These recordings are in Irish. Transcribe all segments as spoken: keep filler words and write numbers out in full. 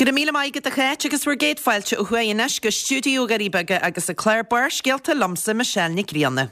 Go raibh míle maith agat a Cháit agus bhur gcéad fáilte ó thuaidh anois go stiúideo Dhoirí Beaga agus an clár Barrscéalta liomsa Michelle Nic Grianna.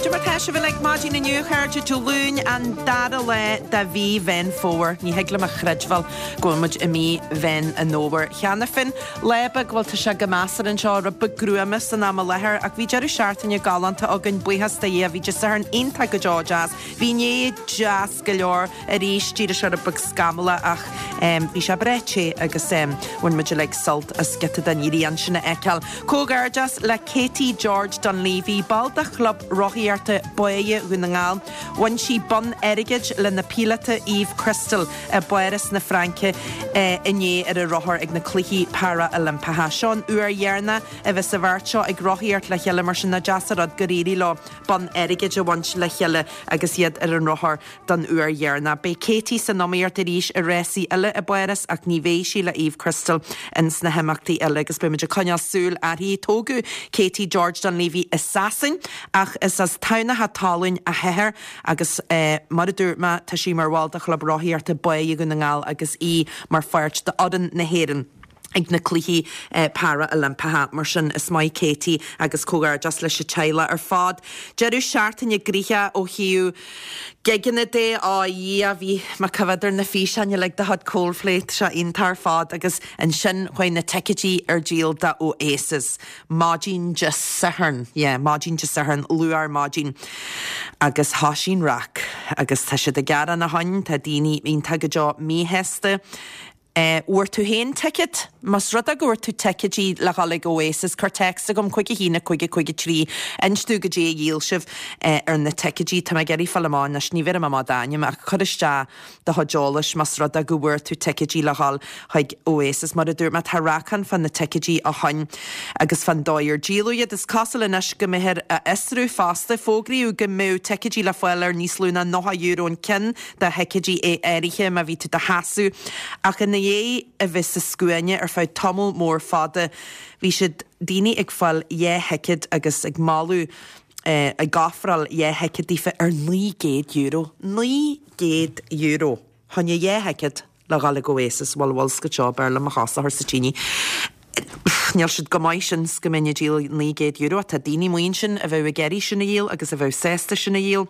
Cad é mar tá sibh uilig maidin inniu a chairde Dé Luain an dara lá de mhí Mheán Fómhair. Ní thig liom a chreidbheáil go bhfuil muid i mí Mheán an Fhómhair cheana féin. Lá beag bhuel tá sé go measartha anseo rud beag gruama san am i láthair ach bhí deireadh seachtaine galánta againn buíochas do Dhia bhí Dé Sathairn iontach go deo deas. Bhí inné deas go leor arís d'éirigh sé rud beag scamallach ach bhí sé breá te agus bhain muid uilig sult as giota den ghrian sin a fheiceáil. Comhghairdeas le Katie George Dunleavy, ball de Chlub Rothaíochta Báighe Dhún na nGall. Bhain sí bonn airgid lena píolóta Eve Crystal i bPáras na Fraince inné ar a rothar ag na Cluichí Para-Oilimpeacha. Seo an uair dheireanach a bheas an bheirt seo ag rothaíocht le chéile mar sin nach deas an rud gur éirigh leo bonn airgid a bhaint le chéile agus iad ar an rothar don uair dheireanach. Beidh Katie san iomaíocht arís i rásaí eile i bPáras ach ní bheidh sí le Eve Crystal ins na himeachtaí eile agus beidh muid ag coinneáil súil uirthi. Tógadh Katie George Dunleavy i Sasain ach is as Tamhnach Talún a hathair agus eh, mar a dúirt mé tá sí mar bhall de Chlub Rothaíochta Báighe Dhún na nGall agus í mar pháirt d'fhoireann na hÉireann. ag na cluichí eh, para-oilimpeacha mar sin is maith Katie agus comhghairdeas leis an teaghlach ar fad. Deireadh seachtaine gnoitheach ó thaobh gigeanna de á dhia bhí mé ag coimhéad ar na físeáin uilig de chuid Coldplay seo iontach ar fad agus ansin chuaigh na ticéidí ar díol do Oasis. Maidin Dé Sathairn, yeah, maidin Dé Sathairn luath ar maidin agus thosaigh an raic agus tá siad ag gearán ó shin, tá daoine iontach go deo míshásta. Eh, bhfuair tú féin ticket? Más rud é go bhfuair tú ticéidí le dhul ag Oasis, cuir text chugam cúig a haon cúig cúig trí inis domh goidé a dhíol sibh eh, ar na ticéidí Tá mé ag iarraidh fáil amach anois ní bhfuair mé amach d'ainm ach cuir isteach do chuid eolais más rud é go bhfuair tú ticéidí le dhul chuig Oasis mar a dúirt mé tá raic ann fá na ticéidí ó shin agus fán dóigh ar díoladh iad is cosúil anois go mbeifear á fhiosrú fosta fógraíodh go mbeadh ticéidí le fáil ar níos lú ná nócha euro an ceann de thicéidí é áirithe má bhí tú do sheasamh ach ina dhiaidh a bheith sa scuaine ar feadh tamall mór fada bhí siad daoine ag fáil dhá thicéad agus ag moladh eh, ag ofráil dhá thicéad daofa ar naoi gcéad euro. Naoi gcéad euro. Fá choinne dhá thicéad le dhul ag Oasis bhfuil bhfuil sco seo Béarla mo chosa sa tine. Níl siad go maith sin go mbeinn ag díol naoi gcéad euro tá daoine maoin sin a bheith ag iarraidh sin a dhíol agus a bheith sásta sin a dhíol.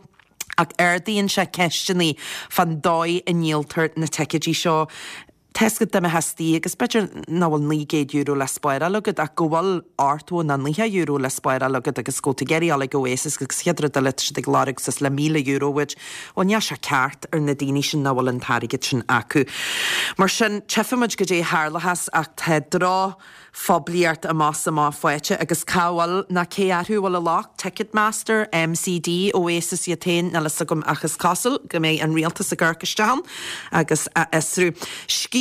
Ach ardaíonn sé ceisteanna fán dóigh a ndíoltar na ticéidí seo. Tesca de hastí agus b'fhéidir nach bhfuil naoi gcéad euro le spáráil agat ach go bhfuil ochtó nó nócha euro le spáráil agat agus go ggéirí ag Oasis agus chéad rud eile siad ag lorg suas le míle euro uait, Well níl sé ceart ar na daoine sin nach bhfuil an t-airgead sin acu. Mar sin tchífimid goidé a tharlós ach tá drochphoiblíocht amach amach faighte agus cá bhfuil ná cé acu bhfuil an locht Ticketmaster, MCD, Oasis iad féin níl a fhios agam ach is cosúil go mbeidh an rialtas ag amharc isteach ann agus á fhiosrú.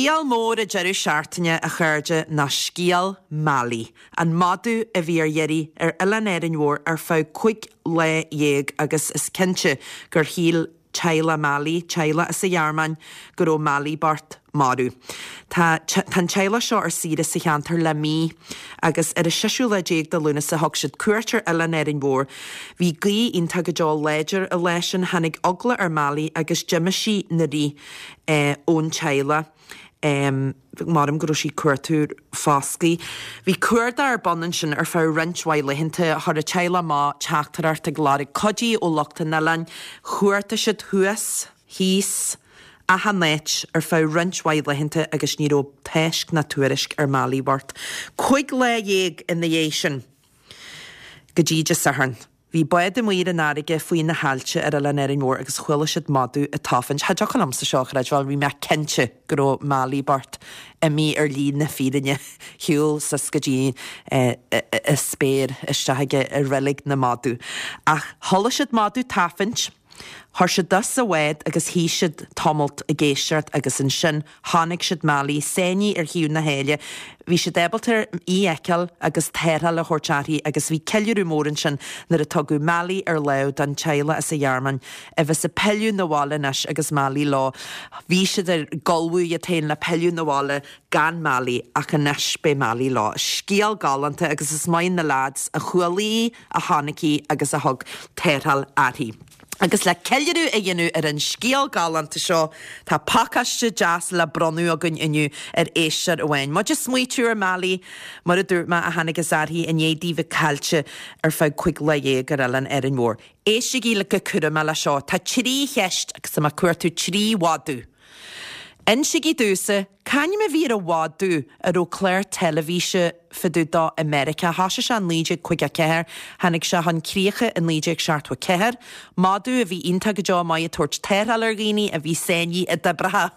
Scéal mór an deireadh seachtaine a chairde ná scéal Mali, an madadh a bhí ar iarraidh ar Oileán Árainn Mhór ar feadh cúig lá dhéag agus is cinnte gur shíl teaghlach Mali, teaghlach as an Ghearmáin go raibh Mali bocht marbh. Tá an teaghlach seo ar saoire sa cheantar le mí agus ar an séú lá déag de Lúnasa thug siad cuairt ar Oileán Árainn Mhór. Bhí gaoth iontach go deo láidir an lá sin tháinig eagla ar Mali agus d'imigh sí 'na rith eh, ón teaghlach. Um, Maram go raibh sí ag cuartú foscadh. Bhí cuardach ar bun ansin ar feadh roinnt mhaith laethanta chuir an teaghlach amach teachtaireacht ag lorg cuidiú ó lucht an oileáin, chuartaigh siad thuas, thíos, achan áit ar feadh roinnt mhaith laethanta agus ní raibh tásc ná tuairisc ar Mali bhocht. Cúig lá dhéag ina dhiaidh sin go dtí Dé Sathairn. Bhí bád amuigh ar an fharraige faoi na haillte ar Oileán Árainn Mhór agus chuala siad madadh ag tafann. Cha dtiocfadh liomsa seo a chreidbheáil, bhí mé cinnte go raibh Mali bocht imithe ar shlí na fírinne shiúil suas go dtí an spéir isteach aige i reilig na madadh. Ach chuala siad madadh tafaint, Chuir siad sa bhád agus shuigh siad tamalt ag éisteacht agus ansin chonaic siad Molly sáinnithe ar thaobh na sáile. Bhí siad ábalta í a fheiceáil agus tarrtháil a thabhairt uirthi agus bhí ceiliúradh mór ansin nuair a tugadh Molly ar lámh don teaghlach as an Ghearmáin a bheas ag pilleadh na bhaile anois agus Molly leo. Bhí siad ag ullmhú iad féin le pilleadh na bhaile gan Molly ach anois beidh Molly leo. Scéal galánta agus is maith na lads a chuala í, a chonaic í agus a thug tarrtháil uirthi. Agus le ceiliúradh a dhéanamh ar an scéal galánta seo, tá pacáiste deas le bronnadh againn inniu ar éisteoir amháin. Muid ag smaoitiú ar Molly, mar a dúirt mé a tháinig as uirthi i ndiaidh di bheith caillte ar feadh cúig lá dhéag ar oileán Árainn Mhór. Éistigí le go cúramach le seo, tá trí cheist agus tá mé ag cuartú trí mhadadh. Insígí domhsa, c'ainm a bhí ar an mhadadh a raibh clár teilifíse fá dtaobh dó i Meiriceá. Thosaigh sé i naoi déag caoga a ceathair, tháinig sé chun críche i naoi déag seachtó a ceathair. Madadh a bhí iontach go deo maith ag tabhairt tarrtháil ar dhaoine a bhí sáinnithe i dtoibreacha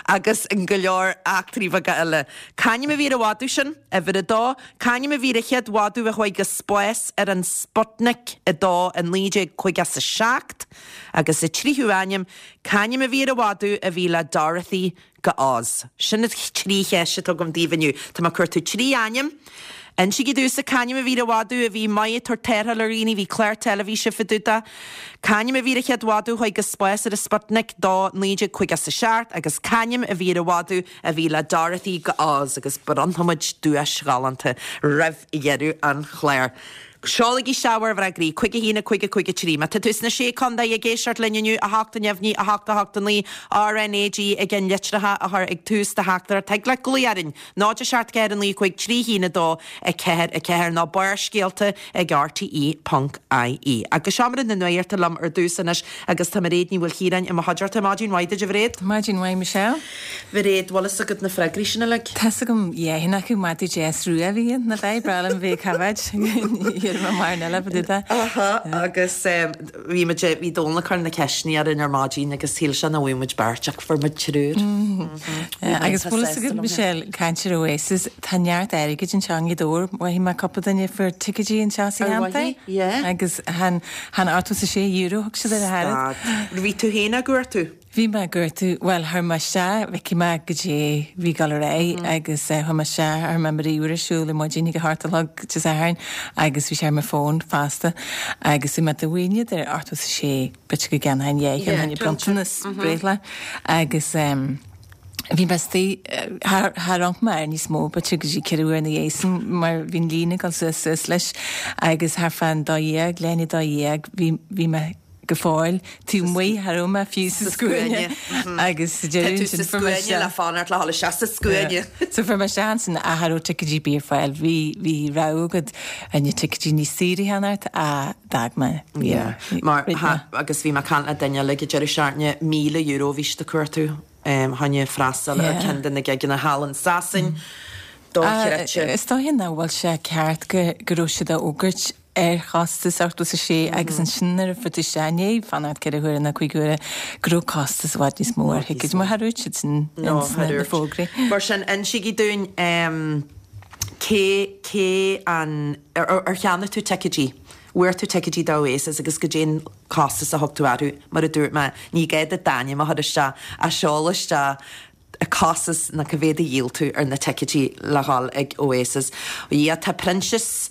agus in go leor eachtraí beaga eile. C'ainm a bhí ar an mhadadh sin? Uimhir a dó. C'ainm a bhí ar an chéad mhadadh a chuaigh go spás ar an Sputnik a dó i naoi déag caoga is a seacht? Agus an tríú ainm, c'ainm a bhí ar an mhadadh a bhí le Dorothy go Oz? Sin na trí cheist atá agam daoibh inniu. Tá mé ag cuartú trí ainm. Insígí domhsa c'ainm a bhí ar an mhadadh a bhí maith ag tabhairt tarrtháil ar dhaoine, bhí clár teilifíse fá dtaobh dó. C'ainm a bhí ar an chéad mhadadh a chuaigh go spás ar an Sputnik dó naoi déag caoga is a seacht agus c'ainm a bhí ar an mhadadh a bhí le Dorothy go Oz agus bronnfaimid duais ghalánta roimh dheireadh an chláir. Seolaigí isteach bhur bhfreagraí, cúig a haon a cúig a cúig a trí. Má tá tú sna Sé Contae ag éisteacht linn inniu, a hocht a neamhní, a hocht a hocht a naoi, RnaG ag an litreacha a chur ag tús do theachtaireacht. Thig leat glaoch orainn, náid a seacht ceathair a naoi cúig trí haon a dó a ceathair a ceathair nó Barrscéalta ag RTE ponc IE. Agus Seomra na Nuachta liom ar dtús anois agus tá Mairéad Ní Mhaoilchiaráin i mo chuideachta. Maidin mhaith duit, a Mhairéad. Maidin mhaith, Michelle. Mhairéad, bhfuil fhios agat na freagraí sin uilig? Tá's agam dhá cheann acu, madadh deas rua a bhí ann, nach ea? Breá liom bheith ag coimhéad. Aha, agus bhí muid, bhí Dónal ag cur na ceisteanna orainn ar maidin agus shíl sé nach bhfuair muid beirt ach fuair muid triúr. Agus bhfuil fhios agat, Michelle, caint ar Oasis, tá neart airgid anseo i nGaoth Dobhair, mhothaigh mé cúpla duine a fuair ticéidí anseo sa cheantar. Agus chan, chan ochtó is a sé euro thug siad ar a thairbhe. Stad. Bhí tú féin á gcuartú? Bhí mé ag cuartú, bhuel, chuir mé isteach, bhfeicfidh mé goidé bhí ag dul ar aghaidh agus chuir mé isteach, chuir mé mo ríomhaire ar siúl ar maidin ag a hocht a chlog Dé Sathairn agus bhí sé ar mo fón fosta agus bhí mé do mhaoineadh ar ochtó is a sé b'fhéidir go gceannfainn dhá cheann fá choinne bronntanas breithlá agus bhí mé istigh, char amharc mé air níos mó b'fhéidir go dtí ceithre uair ina dhiaidh sin mar bhí an líne ag dul suas suas leis agus thart fán dó dhéag, leath i ndiaidh a dó dhéag bhí, bhí mé go fóill taobh amuigh, cha raibh mé fiú sa scuaine agus sa deireadh ansin fuair mé isteach. le fanacht le dhul isteach sa scuaine. So fuair mé isteach ansin ach cha raibh ticéidí ar bith ar fáil. Bhí, bhí rogha agat na ticéidí níos saoire a cheannacht ach d'fhág mé. Yeah. Mar, agus bhí mé ag caint le duine eile ag an deireadh seachtaine, míle euro a bhí siad ag cuartú fá choinne freastal ar ceann de na gigeanna thall in Sasain. Dochreidte. Is dóiche nach bhfuil sé ceart go go raibh siad á fhógairt ar chostas ochtó is a sé agus ansin nuair a fuair tú isteach i ndiaidh fanacht ceithre huaire nó cúig huaire go raibh costas i bhfad níos mó ar thicéid mar char dhúirt siad sin ins na fógraí. Mar sin, insígí dúinn cé, cé an, ar, ar cheannaigh tú ticéidí? Bhfuair tú ticéidí do Oasis agus goidé an costas a thug tú orthu? Mar a dúirt mé, ní gá duit d'ainm a chur isteach ach seol isteach costas nó cá mhéad a dhíol tú ar na ticéidí le dhul ag Oasis. Ó Dhia, tá Proinsias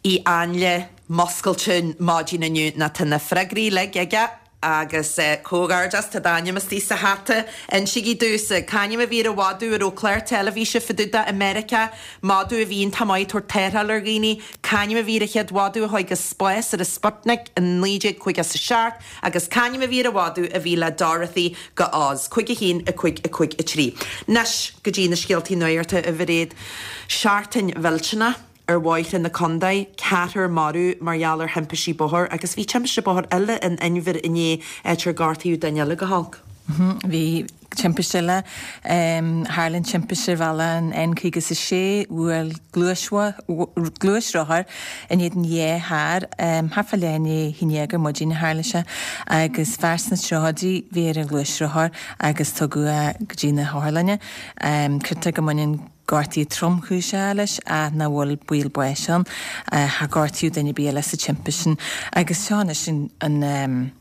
Uí Áinle muscailte maidin inniu nó tá na freagraí uilig aige agus comhghairdeas, tá d'ainm istigh sa hata. Insígí domhsa, c'ainm a bhí ar an mhadadh a raibh clár teilifíse fá dtaobh de i Meiriceá, madadh a bhí iontach maith ag tabhairt tarrtháil ar dhaoine, c'ainm a bhí ar an chéad mhadadh a chuaigh go spás ar an Sputnik i naoi déag caoga is a seacht, Agus c'ainm a bhí ar an mhadadh a bhí le Dorothy go Oz? Cúig a haon, a cúig, a cúig, a trí. Anois go dtí na scéaltaí nuachta, a Mhairéad. Seachtain mhillteanach ar bhóithre na contae, ceathrar marbh mar gheall ar thimpistí bóthair agus bhí timpiste bóthair eile in Inbhir inné, áit ar gortaíodh duine eile go holc. Bhí timpiste eile. Tharla an timpiste ar bhealach an N caoga is a sé, bhuail gluaisrothar in éadan dhá charr, thart fá leath i ndiaidh a haon déag ar maidin a tharla sé, agus fear sna tríochaidí a bhí ar an ghluaisrothar agus tugadh é go dtí na hotharlainne. Creidtear go mbaineann gortuithe tromchúiseacha leis ach nach bhfuil baol báis ann. Char gortaíodh duine ar bith eile sa timpiste sin. Agus seo anois an.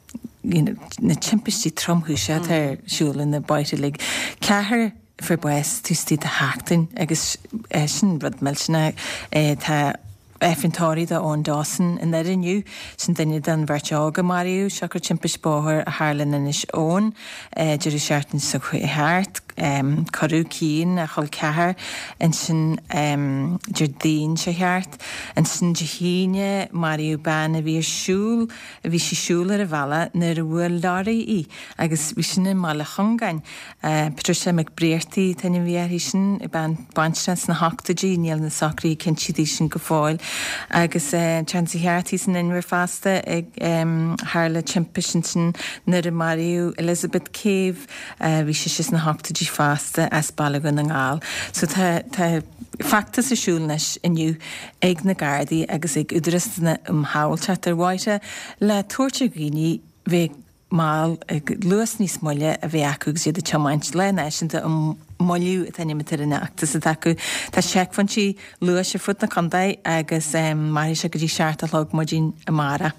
you know, na timpistí tromchúiseacha atá ar siúl ar na bóithre uilig. Ceathrar fuair bás taobh istigh de sheachtain agus sin rud millteanach. Tá Aifreann tórraimh d'Eoin Dawson i nDoire inniu, sin duine den bheirt óg a maraíodh siocair timpist bóthair a tharla in Inis Eoghain deireadh seachtaine seo chuaigh thart. Cuireadh Cian, a chol ceathar, ansin Déardaoin seo thart. Ansin Dé hAoine maraíodh bean a bhí ar siúl, a bhí sí siúl ar an bhealach nuair a bhuail leoraí í agus bhí sin i mBaile Chongáin. Patricia McBrearty an t-ainm a bhí uirthi sin, bean baintreach sna hochtóidí, níl na socruithe cinnte di sin go fóill. Agus an tseachtain seo thart thíos in Inbhir fosta tharla timpist ansin nuair a maraíodh Elizabeth Cave, bhí sise sna hochtóidí fosta as Baile Dhún na nGall. So tá tá feachtas ar siúl anois inniu ag na Gardaí agus ag Údarás na um Shábháilteacht ar Bhóithre le tabhairt ar dhaoine bheith mall, luas níos moille a bheith acu agus iad ag tiomáint. Lá Náisiúnta um Moilliú an t-ainm atá ar an fheachtas atá acu. Tá seicphointí luais ar fud na contae agus mairfidh sé go dtí seacht a chlog maidin amárach.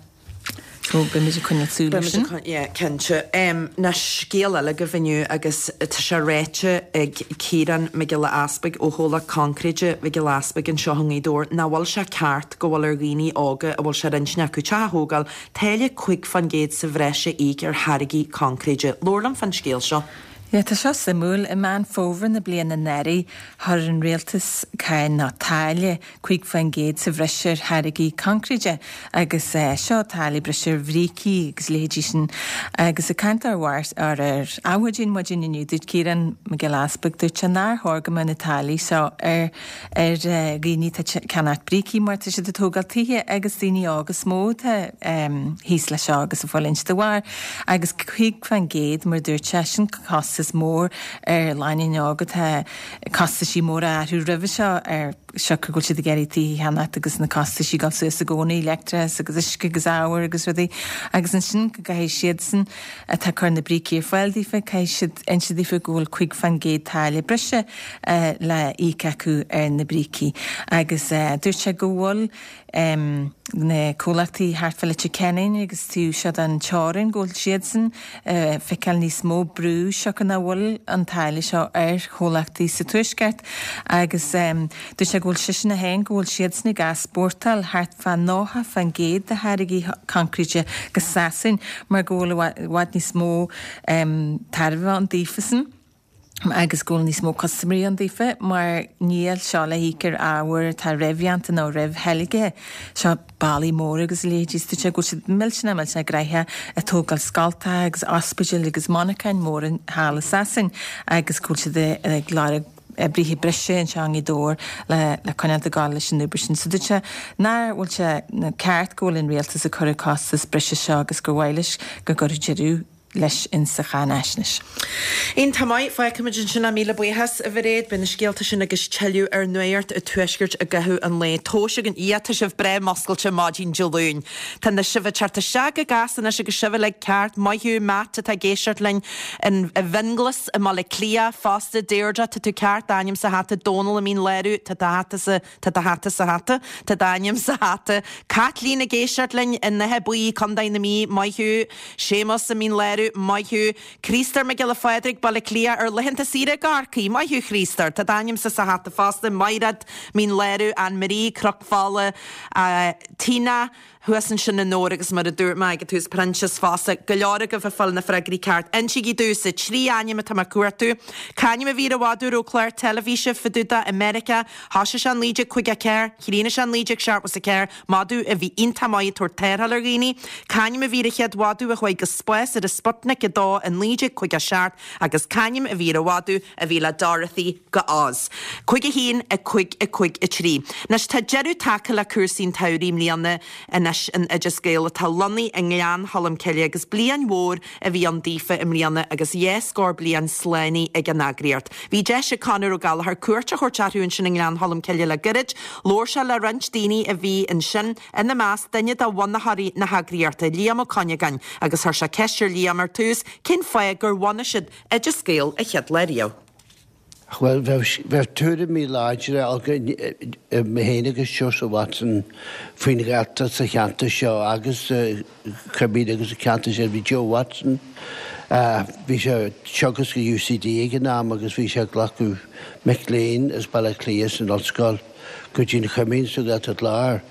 So beimid ag coinneáil súil air sin. Yeah, cinnte. Anois scéal eile agaibh inniu agus tá sé ráite ag Ciarán Mac Giolla Easpaig ó Chomhlacht Coincréite Mhic Giolla Easpaig anseo i nGaoth Dobhair nach bhfuil sé ceart go bhfuil ar dhaoine óga a bhfuil sé ar intinn acu teach a thógáil táille cúig fán gcéad sa bhreis a íoc ar tháirgí coincréide. Labhair liom fán scéal seo. Yeah, tá seo suimiúil. I Meán Fómhair na bliana anuraidh, chuir an rialtas cáin nó táille cúig faoin gcéad sa bhreis ar tháirgí coincréide agus seo táille breise ar bhrící agus leithéidí sin. Agus ag caint ar ar ar Adhmhaidin maidin inniu, dúirt Ciarán Mac Giolla Easpaig, dúirt sé nár chóir go mbeadh na táillí seo ar ar dhaoine atá ag ceannacht brící mar tá siad ag tógáil tithe agus daoine óga is mó atá thíos leis seo agus ag fulaingt dá bharr. Agus cúig faoin gcéad mar dúirt sé, sin costas costas mór ar lánúin óg atá costaisí móra orthu roimhe seo ar siocair go bhfuil siad ag iarraidh tithe a cheannacht agus na costaisí ag dul suas i gcónaí, leictreachas agus uisce agus ábhair agus rudaí agus ansin go gcaithfidh siadsan atá ag cur na brící ar fáil daofa, caithfidh siad inse daofa go bhfuil cúig faoin gcéad táille breise le íoc acu ar na brící agus dúirt sé go bhfuil na comhlachtaí thart fá Leitir Ceanainn agus taobh seo den teorainn go bhfuil siadsan ag feiceáil níos mó brú siocair nach bhfuil an táille seo ar chomhlachtaí sa Tuaisceart agus dúirt sé go bhfuil seisean féin go bhfuil siadsan ag easpórtáil thart fá nócha faoin gcéad de tháirgí coincréite go Sasain mar go bhfuil i bhfad níos mó tairbhe ann daofasan. agus go bhfuil níos mó custaiméirí ann daofa mar níl seo le híoc ar ábhar atá réamhdhéanta nó réamhtheilgthe. Seo ballaí móra agus a leithéidí is dúirt sé go bhfuil siad millteanach millteanach gnoitheach ag tógáil scoltacha agus ospidéil agus monarcháin móra thall i Sasain agus go bhfuil siad ag lorg oibrithe breise anseo i nGaoth Dobhair le le coinneáil ag gabháil leis an obair sin. So dúirt sé nach bhfuil sé ceart go bhfuil an rialtas ag cur an costas breise seo agus gur mhaith leis go gcuirfeadh deireadh leis insa cháinaisnéis. Iontach maith, fágfaimid ansin é, míle buíochas, a Mhairéad. Beidh na scéalta sin agus tuilleadh ar Nuacht an Tuaiscirt i gcaitheamh an lae. Tomhais againn, yeah, tá sibh breá muscailte maidin Dé Luain. Tá na sibh ag teacht isteach go gasta anois agus sibh uilig ceart. Maith thú, Matt, atá ag éisteacht linn in, i bhFionnghlas i mBaile Átha Cliath fosta. Deirdre, tá tú ceart, d'ainm sa hata. Dónal i Mín Lárach, tá do hata sa, tá do hata sa hata. Tá d'ainm sa hata. Caitlín ag éisteacht linn in Áth Buí, Contae na Mí, maith thú. Séamus i Mín Lárach, maith thú. Críostóir Mac Giolla Phádraig, Baile Átha Cliath, ar laethanta saoire i gCorcaigh, maith thú Chríostóir. Tá d'ainmse sa hata fosta. Maighread, Mín Lárach, Anne Marie, Cnoc Fola, Tina, thuas ansin i nDobhar agus mar a dúirt mé ag an tús, Proinsias fosta. Go leor agaibh ag fáil na freagraí ceart. Insígí domhsa trí ainm atá mé ag cuartú. C'ainm a bhí ar an mhadadh a raibh clár teilifíse fá dtaobh de i Meiriceá? Thosaigh sé in naoi déag caoga a ceathair, chríochnaigh sé in naoi déag seachtó a ceathair, madadh a bhí iontach maith ag tabhairt tarrtháil ar dhaoine. C'ainm a bhí ar an chéad mhadadh a chuaigh go spás ar an Sputnik a dó i naoi déag caoga a seacht agus c'ainm a bhí ar an mhadadh a bhí le Dorothy go Oz. Cúig a haon, a cúig, a cúig, a trí. Anois tá deireadh tagtha le cúrsaí an tsamhraidh i mbliana anois in Oideas Gael atá lonnaithe i nGleann Cholm Cille agus bliain mhór a bhí ann daofa i mbliana agus dhá scór bliain slánaithe ag an eagraíocht. Bhí deis ag Conor Ó Gallchóir cuairt a thabhairt orthu ansin i nGleann Cholm Cille le gairid. Labhair sé le roinnt daoine a bhí ansin, ina measc duine de bhunaitheoirí na heagraíochta, Liam Ó Cuinneagáin, agus chuir sé ceist ar Liam ar tús cén fáth gur bhunaigh siad Oideas Gael an chéad lá riamh. Bhuel, bheadh tuairimí láidre againn, mé féin agus Seosamh Watson, faoin Ghaeltacht sa cheantar seo agus sa Choimín agus sa cheantar sin. Bhí Joe Watson, bhí sé ag teagasc i UCD ag an am agus bhí sé ag glacadh mic léinn as Baile Átha Cliath san ollscoil go dtí an Choimín sa Ghaeltacht Láir.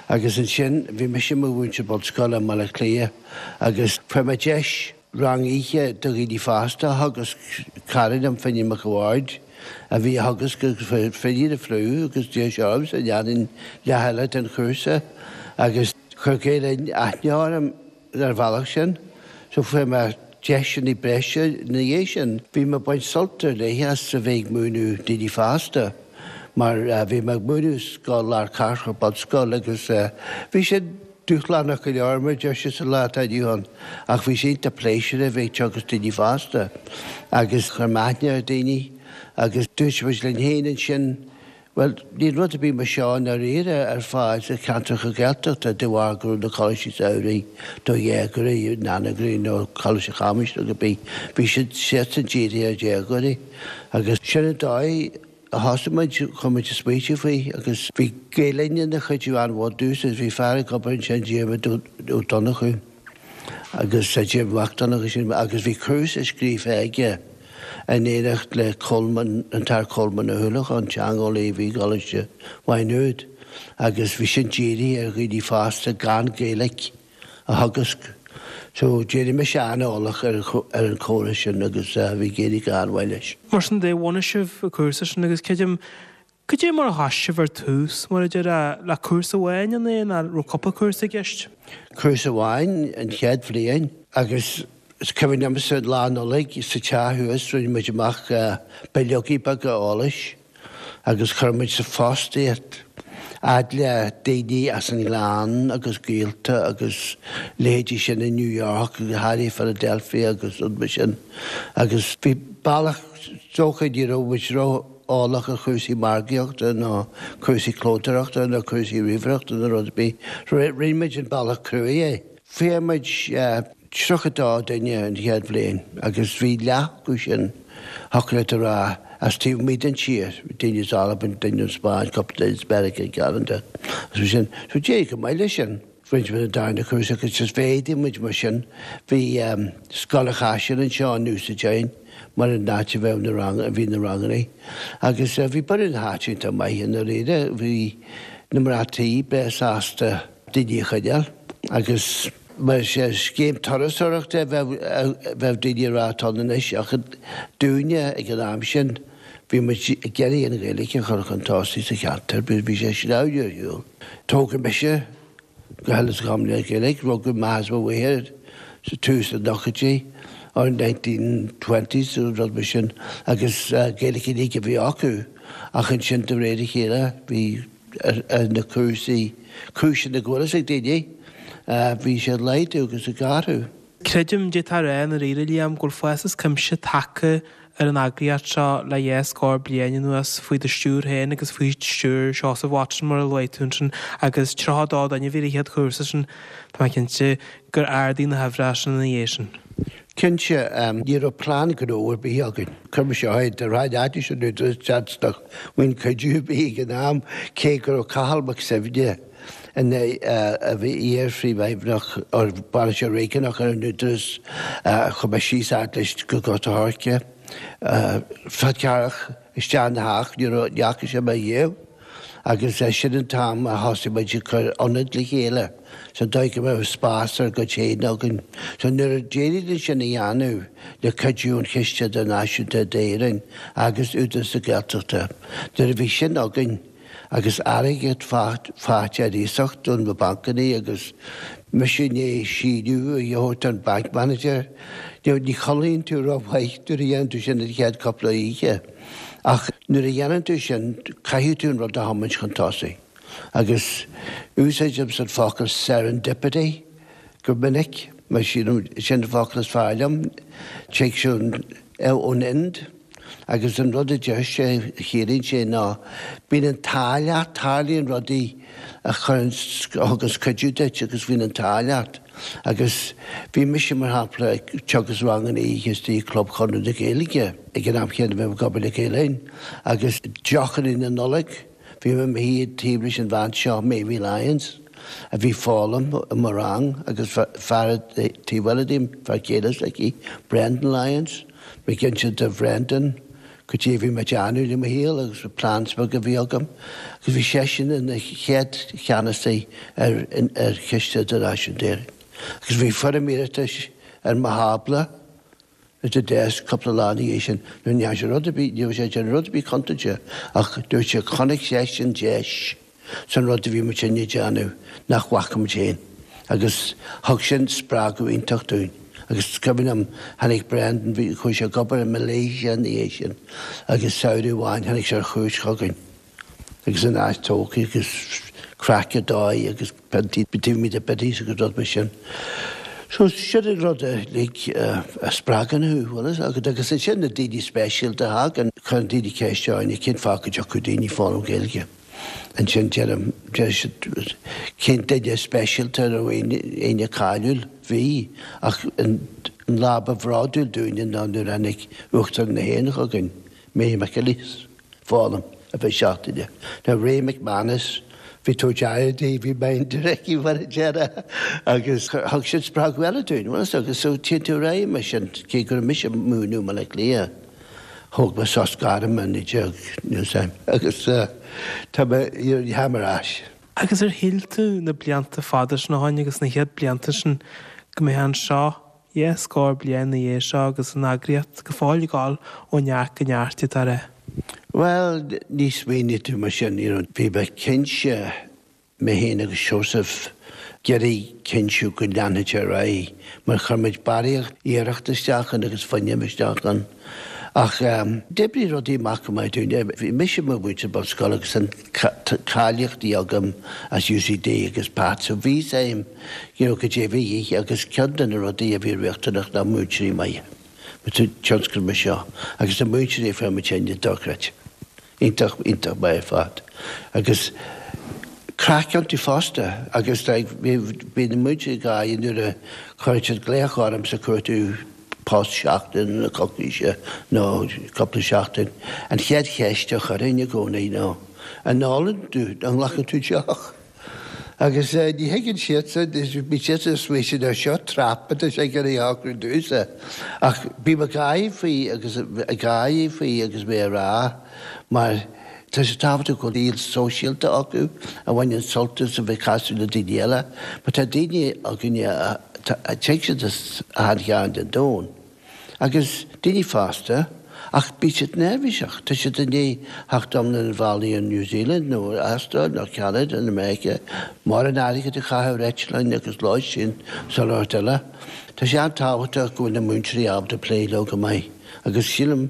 Agus ansin bhí mise i mo mhúinteoir bunscoile i mBaile Átha Cliath agus fuair mé deis rang oíche do dhaoine fásta a theagasc, cara liom, Finian Mac a' Bhaird, a bhí á theagasc agus fuair Finian an fliú agus d'iarr sé ormsa an ndéanfainn leath eile den chúrsa agus chuir Gael Linn aithne orm ar an bhealach sin. So fuair mé deiseanna breise ina dhiaidh sin. Bhí mé ag baint sult ar leith as a bheith ag múineadh daoine fásta mar bhí mé ag múineadh scoil lár cathrach, bunscoil agus bhí sé dúshlánach go leor mar a deir siad sa lá atá inniu ann ach bhí sé iontach pléisiúrtha a bheith ag teagasc daoine fásta agus chuir mé aithne ar dhaoine agus dúirt muid linn féin ansin bhuel níl rud ar bith mar seo i ndáiríre ar fáil sa cheantracha Gaeltachta de bharr go raibh na coláistí samhraidh do dhéagóirí, Nana-Green nó Coláiste Chamuis nó cibé, bhí siad siadsan dírithe ar dhéagóirí agus sin an dóigh a thosaigh muid, chuir muid ag smaoitiú faoi agus bhí Gael Linn ina chuidiú an-mhór dúinn agus bhí fear ag obair ansin, Diarmuid Ó Donnchú agus Diarmuid Mac Donnchú sin agus bhí cúrsa scríofa aige in éineacht le Colmán, an tAthair Colmán Ó hUallacháin, teangeolaí a bhí i gColáiste Mhaigh Nuad agus bhí sin dírithe ar dhaoine fásta gan Gaeilge a theagasc. So d'éirigh mise an-eolach ar an chóras sin agus bhí ag éirí go han-mhaith leis. Mar sin de, bhunaigh sibh an cúrsa sin agus creidim, cad é mar a thosaigh sibh ar tús, mar a déarfá, le cúrsa amháin an é nó raibh cúpla cúrsa i gceist? Cúrsa amháin an chéad bhliain agus is cuimhin liomsa Lá Nollag sa teach thuas rinne muid amach bileogaí beaga eolais agus chuir muid sa phost iad fhad le daoine as an nGleann agus gaolta agus leithéidí sin i New York agus háirithe Philadelphia agus rud mar sin. Agus bhí bealach is dócha ní raibh muid ró-eolach ar chúrsaí margaíochta nó cúrsaí clódóireachta nó cúrsaí ríomhaireachta nó rud ar bith. Rinne muid an bealach cruaidh é. Fuair muid tríocha dó duine an chéad bhliain agus bhí leath acu sin, thiocfadh leat a rá, as taobh amuigh den tír, daoine as Albain, daoine ón Spáinn, cúpla duine as Meiriceá, Ceanada agus mar sin. So d'éirigh go maith leis sin. Rinne muid an darna cúrsa agus just mhéadaigh muid mar sin. Bhí Scoil an Chaisil anseo in úsáid againn mar an áit a bheadh na rang, a bhí na ranganna agus bhí borradh na háite iontach maith i ndáiríre. Bhí na mná tí breá sásta daoine a choinneáil agus mar sé scéim turasóireachta a bheadh daoine ag rá atá ann anois ach dúinne ag an am sin bhí muid ag iarraidh an Ghaeilge a chur chun tosaigh sa cheantar, bhí sé sleamhnú ar shiúl. Tógadh mise go huile is go hiomlán le Gaeilge, rugadh m'athair is mo mháthair sa tús na nóchaidí or nineteen twenties nó rud mar sin agus Gaeilge uilig a bhí acu ach ansin de réir a chéile bhí ar na cúrsaí, cúiseanna go bhfuil fhios ag daoine, bhí sé ag laghdú agus ag athrú. Creidim, d'fhéadfá a rá i ndáiríre, Liam, go bhfuil fás as cuimse tagtha ar an eagraíocht seo le dhá scór bliain anuas, faoi do stiúir féin agus faoi stiúir Sheosaimh Watson, mar a luaigh tú ansin, agus tríocha a dó duine a bhí ar an chéad chúrsa sin, tá mé cinnte gur ardaigh na huimhreacha sin ina dhiaidh sin. Cinnte, ní raibh plean gnó ar bith againn. Chuir mise é de réir aidis an údaráis seans nach bhfuil cuidiú ar bith ag an am, cé go raibh Cathal Mac Suibhne ina a bhí iar-phríomhfheidhmeannach or bainisteoir réigiúnach ar an Údarás, chuaigh mé síos fhad leis go Gort a' Choirce, Fál Carrach, isteach ina theach, ní raibh, ní fhaca sé mé riamh. Agus sin an t-am a thosaigh muid ag cur ionad le chéile sa dóigh go mbeadh spás ár gcuid féin againn. So nuair a d'éirigh linn sin a dhéanamh le cuidiú an Chiste Idirnáisiúnta d'Éirinn agus Údarás na Gaeltachta, nuair a bhí sin againn agus airgead faighte ar iasacht ó na bancanna agus mise i ndiaidh síniú a thabhairt don bank manager, ní chodlaíonn tú rómhaith nuair a dhéanann tú sin an chéad cúpla oíche. Ach nuair a dhéanann tú sin, caithfidh tú an rud a thiomáint chun tosaigh. Agus úsáidimse an focal serendipity go minic, mar sílim sin an focal is fearr liom. Tig sé ón Ind Agus an rud a deir sé, a chiallaíonn sé ná bíonn an t-ádh leat, tarlaíonn rudaí a chuireann, a thuganns cuidiú duit agus bíonn an t-ádh leat. Agus bhí mise, mar shampla, ag teagasc ranganna oíche istigh i gClub Chonradh na Gaeilge ag an am chéanna a bhí mé ag obair le Gael Linn agus deochanna na Nollag, bhí mé i mo shuí taobh leis an bhean seo, Mamie Lyons, a bhí ag foghlaim i mo rang agus fear taobh eile díom, fear céile s'aici, Brendan Lyons. Mé ag inse do Bhrendan cad é a bhí mé ag déanamh le mo shaol agus na plans beaga a bhí agam agus bhí seisean ina chéad cheannasaí ar ar Chiste Idirnáisiúnta Éireann. Agus bhí foirm iarratais ar mo thábla at the desk cúpla lá ina dhiaidh sin. Ní dhearna sé rud ar bith, ní raibh sé ag déanamh rud ar bith contúirteach ach dúirt sé chonaic seisean deis san rud a bhí muidinne ag déanamh nach bhfaca muid féin agus thug sin spreagadh iontach dúinn. Agus is cuimhin liom, tháinig Brendan, bhí, chuaigh sé ag obair i Malaysia ina dhiaidh sin agus samhradh amháin tháinig sé ar chuairt chugainn agus an áit tógtha agus craic ar dóigh agus piontaí taobh amuigh de Biddy's agus rud mar sin. So sin an rud uilig a spreagann thú, bhfuil fhios agat. Agus ansin na daoine speisialta a thagann, cuireann daoine ceist orainn cén fáth go dtiocfadh daoine ag foghlaim Gaeilge. Ansin deirim, deir siad, cén duine speisialta a raibh éinne, éinne cáiliúil? Bhí, ach an lá ba bhródúil dúinne ná nuair a tháinig Uachtarán na hÉireann chugainn, Mary McAleese, foghlaim ar feadh seachtaine. Now Ray McManus, bhí tabhairt aire di, bhí minder aici mar a déarfá, agus thug sin spreagadh eile dúinn, bhfuil fhios agat, so téann tú ar aghaidh mar sin, cé go raibh mise ag múineadh i mBaile Átha Cliath. Thóg mé sos gairme i naoi déag níl agus tá mé táim ar ais. Agus ar shíl tú na blianta fada sin ó shin agus na chéad blianta sin go mbeifeá anseo dhá scór bliain ina dhiaidh seo agus an eagraíocht go fóill ag dul ó neart go neart atá rá? Bhuel, ní smaoinigh tú mar sin, you know, bhí mé cinnte mé féin agus Seosamh ag iarraidh cinntiú go leanfadh sé ar aghaidh mar chuir muid barraíocht iarracht isteach ann agus fuinneamh isteach ann. Ach d'oibrigh rudaí amach go maith dúinn. Bhí mise i mo mhúinteoir bunscoile agus an cáilíochtaí agam as UCD agus Pat so bhí fhios a'm you know cad é a bhí de dhíth agus ceann de na rudaí a bhí riachtanach ná múinteoirí maithe sa tionscal mar seo agus na múinteoirí a fuair muid féin dochreidte. Iontach, iontach maith ar fad. Agus craic iontu fosta agus bhí na múinteoirí ag gáire nuair a chuir siad glaoch ormsa ag cuartú post seachtain nó coicíse nó cúpla seachtain. An chéad cheist a chuirfinn i gcónaí ná, an n-ólann tú, an nglacann tú deoch? Agus ní thuigeann siadsan, bíonn siadsan ag smaoineamh ar seo trap atá sé ag iarraidh a shocrú domhsa. Ach bím ag gáire faoi agus ag gáire faoi agus mé a rá mar tá sé tábhachtach go bhfuil saol sóisialta acu a bhaineann sult as a bheith ag casadh le daoine eile. Mar tá daoine againne a tig siad as achan chearn den domhan. Agus daoine fásta, ach bíonn siad neirbhíseach, tá siad i ndiaidh theacht iomlán an bhealaigh ó New Zealand nó Astráil nó Ceanada nó Meiriceá, mórán airgid a chaitheamh ar eitleáin agus lóistín is chuile shórt eile. Tá sé an-tábhachtach go bhfuil na múinteoirí ábalta plé leo go maith agus sílim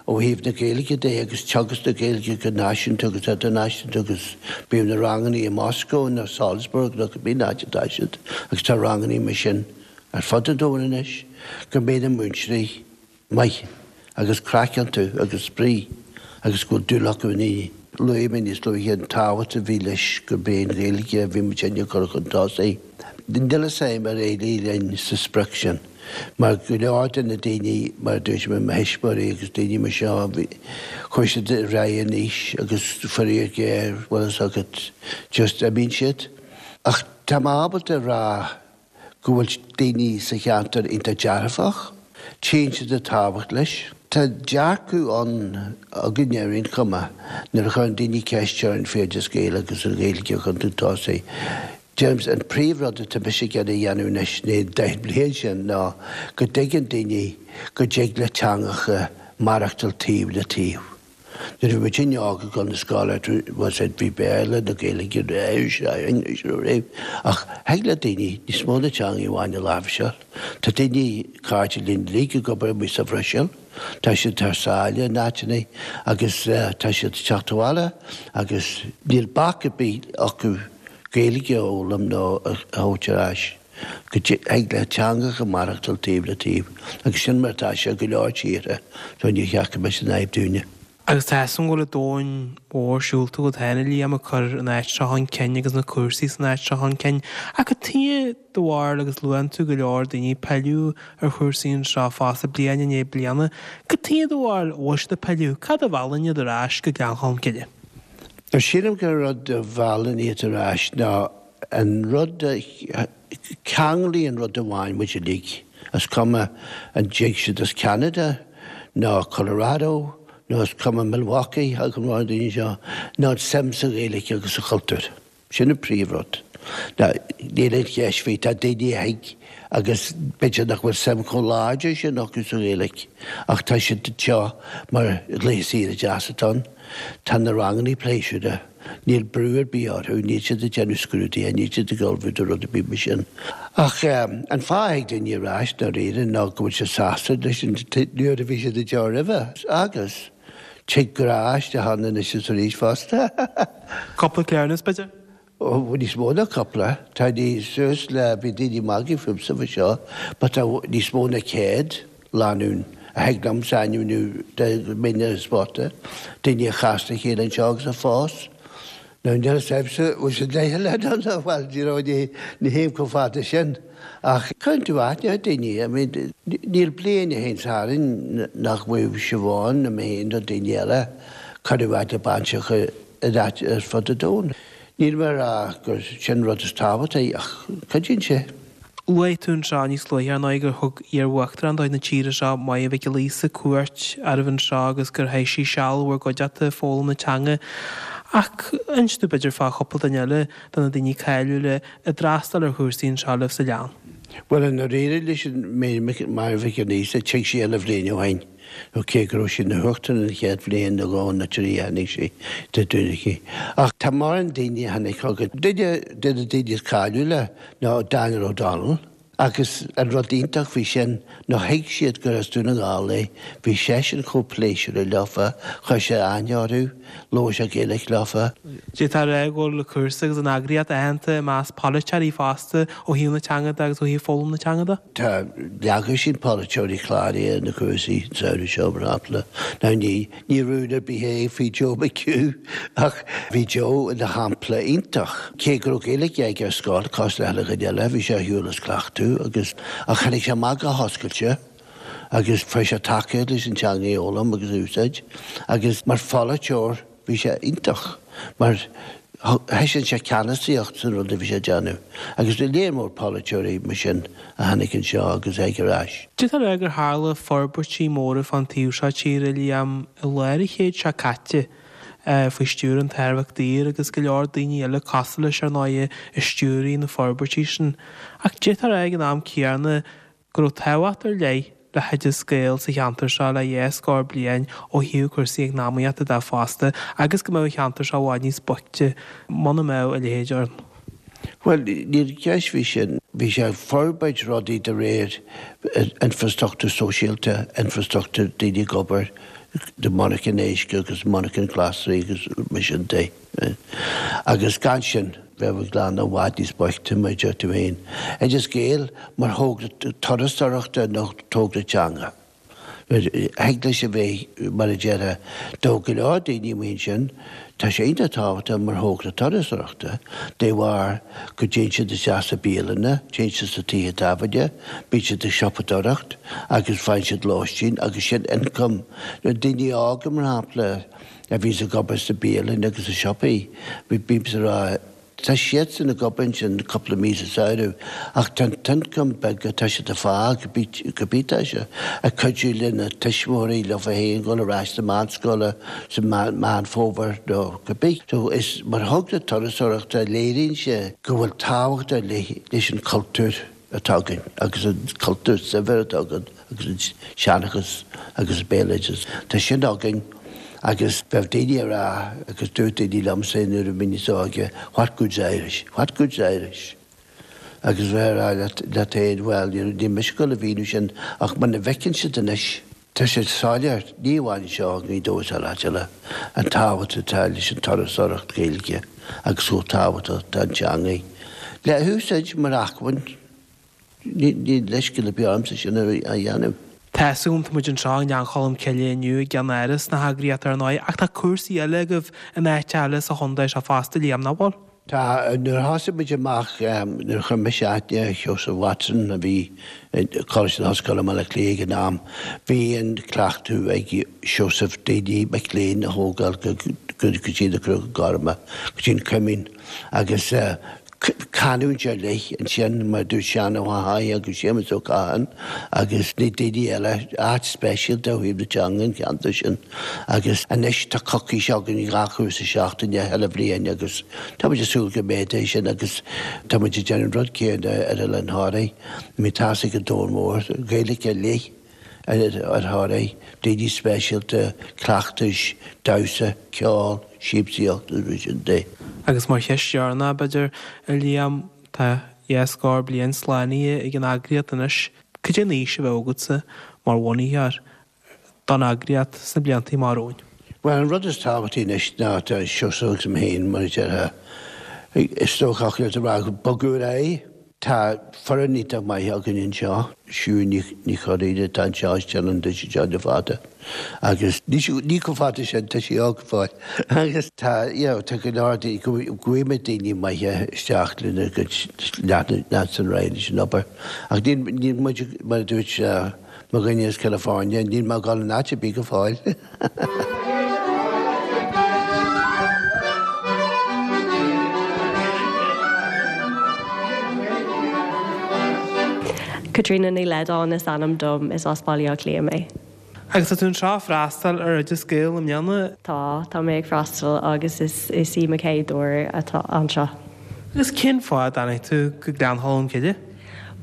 ó thaobh na Gaeilge de agus teagasc na Gaeilge go náisiúnta agus idirnáisiúnta agus bíodh na ranganna i Moscó nó Salzburg nó cibé áit atá siad agus tá ranganna mar sin ar fud an domhain anois, go mbeidh na múinteoirí maith agus craic iontu agus spraoi agus go bhfuil dúil acu i ndaoine. Luaigh mé níos luaithe an tábhacht a bhí leis gurb é an Ghaeilge a bhí muid ag cur chun tosaigh. Níl fhios a'm ar éirigh linn sa sprioc sin mar go leor de na daoine, mar a dúirt mé, mo thuismitheoirí agus daoine mar seo, chuaigh siad ar aghaidh in aois agus faraor géar, bhfuil fhios agat, just imíonn siad. Ach tá mé ábalta a rá go bhfuil daoine sa cheantar iontach dearfach, tchíonn siad an tábhacht leis. Tá dearcadh ann againne ar aon chuma nuair a chuireann daoine ceist orainn faoi Oideas Gael agus an Ghaeilge chun tosaigh. Deirim, an príomhrud atá mise ag iarraidh a dhéanamh anois na deich mbliain sin ná go dtuigeann daoine go dtig le teangacha maireachtáil taobh le taobh. Nuair a bhí muidinne óg ag dul na scoile, was it, bhí Béarla nó Gaeilge riamh, ach thig le daoine níos mó ná teanga amháin a láimhseáil. Tá daoine, cairde linn uilig ag obair amuigh sa Bhruiséil, tá siad thar sáile in áiteanna agus tá siad ag teacht abhaile agus níl bac ar bith acu Gaeilge a fhoghlaim nó a thabhairt ar ais. Go dtig le teangacha maireachtáil taobh le taobh agus sin mar atá sé go leor tíortha so ní cheart go mbeadh sé ina fhadhb dúinne. Agus tá fhios agam go bhfuil domhan mhór siúlta agat féin, a Liam, ag cur an áit seo chun cinn agus na cúrsaí san áit seo chun cinn. Ach cad chuige do bharúil agus luann tú go leor daoine ag pilleadh ar chúrsaí anseo fosta bliain i ndiaidh bliana. Cad chuige do bharúil a bhfuil siad ag pilleadh? Cad a mheallann iad ar ais go Gleann Cholm Cille? Sílim gur rud a mheallann iad ar ais ná an rud a cheanglaíonn rud amháin muid uilig, is cuma an dtig siad as Ceanada nó Colorado nó is cuma Milwaukee agus an daoine seo, ná an suim sa Ghaeilge agus sa chultúr. Sin an príomhrud. Níl aon cheist faoi, tá daoine a thig agus b'fhéidir nach bhfuil suim chomh láidir sin acu sa Ghaeilge ach tá siad anseo mar laetha saoire deas atá ann. Tá na ranganna pléisiúrtha. Níl brú ar bith orthu, níl siad ag déanamh scrúduithe, níl siad ag ullmhú do rud ar bith mar sin. Ach an fáth a thig daoine ar ais dáiríre ná go bhfuil siad sásta leis an nuair a bhí siad anseo roimhe agus tig grá isteach ann anois is arís fosta. Cúpla cleamhnas, b'fhéidir? Ó, níos mó ná cúpla. Tá níos suas le, bhí daoine ag magadh fúmsa faoi seo, but tá níos mó ná céad lánúin a thig liomsa ainmniú de mine ar an spota, daoine a chas le chéile anseo agus a phós. Now níl fhios agamsa bhfuil siad leithcheal ann nó bhuel you know ní ní théim chomh fada sin ach cuireann tú aithne ar daoine I mean níl bliain a théann tharainn nach bhfuil Siobhán nó mé féin nó daoine eile cuireadh aithne bainteacha ar áit ar fud an domhain. Níl mé ag rá gur sin rud is tábhachtaí ach cuidíonn sé. Luaigh tú anseo níos luaithe, ar ndóigh, gur thug iar-uachtarán de chuid na tíre seo, Máire Mhic Giolla Íosa, cuairt oraibh anseo agus gur chaith sí seal i bhur gcuideachta ag foghlaim na teanga. Ach inis dúinn b'fhéidir fá chúpla duine eile de na daoine cáiliúla a d'fhreastail ar chúrsaí anseo libh sa Ghleann. Bhuel, i ndáiríre leis an Máire Mhic Giolla Íosa, tig sí uile bhliain ó shin, nó cé go raibh sí ina huachtarán an chéad bhliain nó dhó nó trí a tháinig sí de Dúiche. Ach tá mórán daoine a tháinig chugainn. Duine de na daoine is cáiliúla ná Daniel O'Donnell, agus an rud iontach faoi sin ná thuig siad gur as Dún na nGall é, bhí seisean chomh pléisiúrtha leofa, chuir sé aithne orthu, labhair sé Gaeilge leofa. D'fhéadfá a rá go bhfuil an cúrsa agus an eagraíocht aitheanta i measc polaiteoirí fosta ó thaobh na teanga de agus ó thaobh foghlaim na teanga de. Tá leagtha polaiteoirí cláraithe ar na cúrsaí an samhradh seo mar shampla. Now ní ní rún ar bith é faoi Joe McHugh ach bhí Joe ina shampla iontach. Cé go raibh Gaeilge aige ar scoil cosúil le chuile dhuine eile, bhí sé ar shiúl as cleachtadh agus ach tháinig sé amach go hoscailte agus fuair sé tacaíocht leis an teanga a fhoghlaim agus a úsáid agus mar pholaiteoir bhí sé iontach mar thaispeáin sé ceannasaíocht san rud a bhí sé ag déanamh agus léir mór polaiteoirí mar sin a tháinig anseo agus ag ar ais. D'fhéadfá a rá gur tharla forbairtí móra fán taobh seo tíre, Liam, i lár an chéid seo caite faoi stiúir an tAthair Mac Daoir agus go leor daoine eile cosúil leis ar ndóigh a stiúraigh na forbairtí sin. Ach d'fhéadfá a rá ag an am céanna go raibh tábhacht ar leith le hOideas Gael sa cheantar seo le dhá scór bliain ó thaobh cúrsaí eacnamaíochta de fosta agus go mbeadh an cheantar seo i bhfad níos boichte muna mbeadh a leithéid ann. Bhuel, níl ceist faoi sin. Bhí sé ag forbairt rudaí de réir infrastruchtúr sóisialta, infrastruchtúr daoine ag obair, de monarcha éisc agus monarcha glasraí agus mar sin de. Agus gan sin, bheadh an Gleann i bhfad níos boichte, mar a deir tú féin. Oideas Gael mar thogra turasóireachta nó togra teanga. Thig leis a bheith, mar a déarfá, do go leor daoine amuigh ansin, tá sé iontach tábhachtach mar thogra turasóireachta, de bharr go dtéann siad isteach sa bialanna, téann siad sa tithe tábhairne, bíonn siad ag siopadóireacht agus faigheann siad lóistín agus sin income. Na daoine óga, mar shampla, a bhíonns ag obair sa bialann agus sa siopaí, bímse ag rá, tá siadsan ag obair ansin cúpla mí sa samhradh ach tá an t-ioncam beag atá siad ag fáil cibé tá sé ag cuidiú lena tuismitheoirí leofa féin dul ar ais sa meánscoile sa Meán Fómhair nó cibé. So is mar thogra turasóireachta léiríonn sé go bhfuil tábhacht ar leith leis an chultúr atá againn agus an cultúr saibhir atá againn agus an seanchas agus an béaloideas. Tá sin againn agus bheadh daoine ag rá agus dúirt daoine liomsa nuair a bhí níos óige, what good's Irish? What good's Irish? Agus bheith ag rá leat leat féin, bhuel, níl mise ag dul a mhíniú sin ach muna bhfeiceann siad anois, tá sé soiléir, ní amháin anseo i nGaoth Dobhair is áit eile, an tábhacht atá leis an turasóireacht Ghaeilge agus chomh tábhachtach atá an teanga le húsáid mar acmhainn. Níl leithscéal ar bith ormsa sin a dhéanamh. Tá a fhios agam, tá muid anseo i nGleann Cholm Cille inniu i gceannáras na heagraíochta ar ndóigh, ach tá cúrsaí eile agaibh in áit eile sa chontae seo fosta, Liam, nach bhfuil? Tá, nuair a thosaigh muid amach, nuair a chuir mise aithne ar Sheosamh Watson a bhí i Coláiste na hOllscoile i mBaile Átha Cliath ag an am, bhí an cleachtadh ag Seosamh daoine, mic léinn a thógáil go dtí na Cnoic Gorma, go dtí an Coimín agus canúint ar leith ansin, mar a dúirt Seán Ó hAthaigh agus Séamus Ó Catháin agus na daoine eile, áit speisialta ó thaobh na teanga an ceantar sin. Agus anois tá coicís againn dhá chúrsa seachtaine chuile bhliain agus tá muid ag súil go méadóidh sin agus tá muid ag déanamh an rud céanna ar Oileán Thoraí, muid ag tosaí ag an Domhan Mór, Gaeilge ar leith. Ar Thoraigh, daoine speisialta, cleachtais, damhsa, ceol, siamsaíocht agus mar sin de. Agus mar cheist dheireanach, b'fhéidir, a Liam, tá dhá scór bliain slánaithe ag an eagraíocht anois. Cad é an fhís a bheadh agatsa mar bhunaitheoir don eagraíocht sna blianta amach romhainn? Bhuel, an rud is tábhachtaí anois ná tá Seosamh agus mé féin, mar a déarfá, is dócha ach a rá, bogadh ar aghaidh. Tá foireann iontach maith againn anseo. Siún Ní Churraoin atá anseo is déanann duit anseo le fada agus ní chomh fada sin, tá sí óg go fóill agus tá you know tá go leor daoine, go bhfaighimid daoine maithe isteach lena gcuid leanúint ar aghaidh leis an obair ach níl níl muid mar a dúirt Mo dhuine as California, níl mé ag dul in áit ar bith go fóill. Caitríona Ní Leadáin is ainm dom, is as Baile Átha Cliath mé. Agus tá tú anseo ag freastal ar Oideas Gael i mbliana? Tá, tá mé ag freastal agus is is í mo chéad uair atá anseo. Agus cén fáth a dtáinig tú go Gleann Cholm Cille?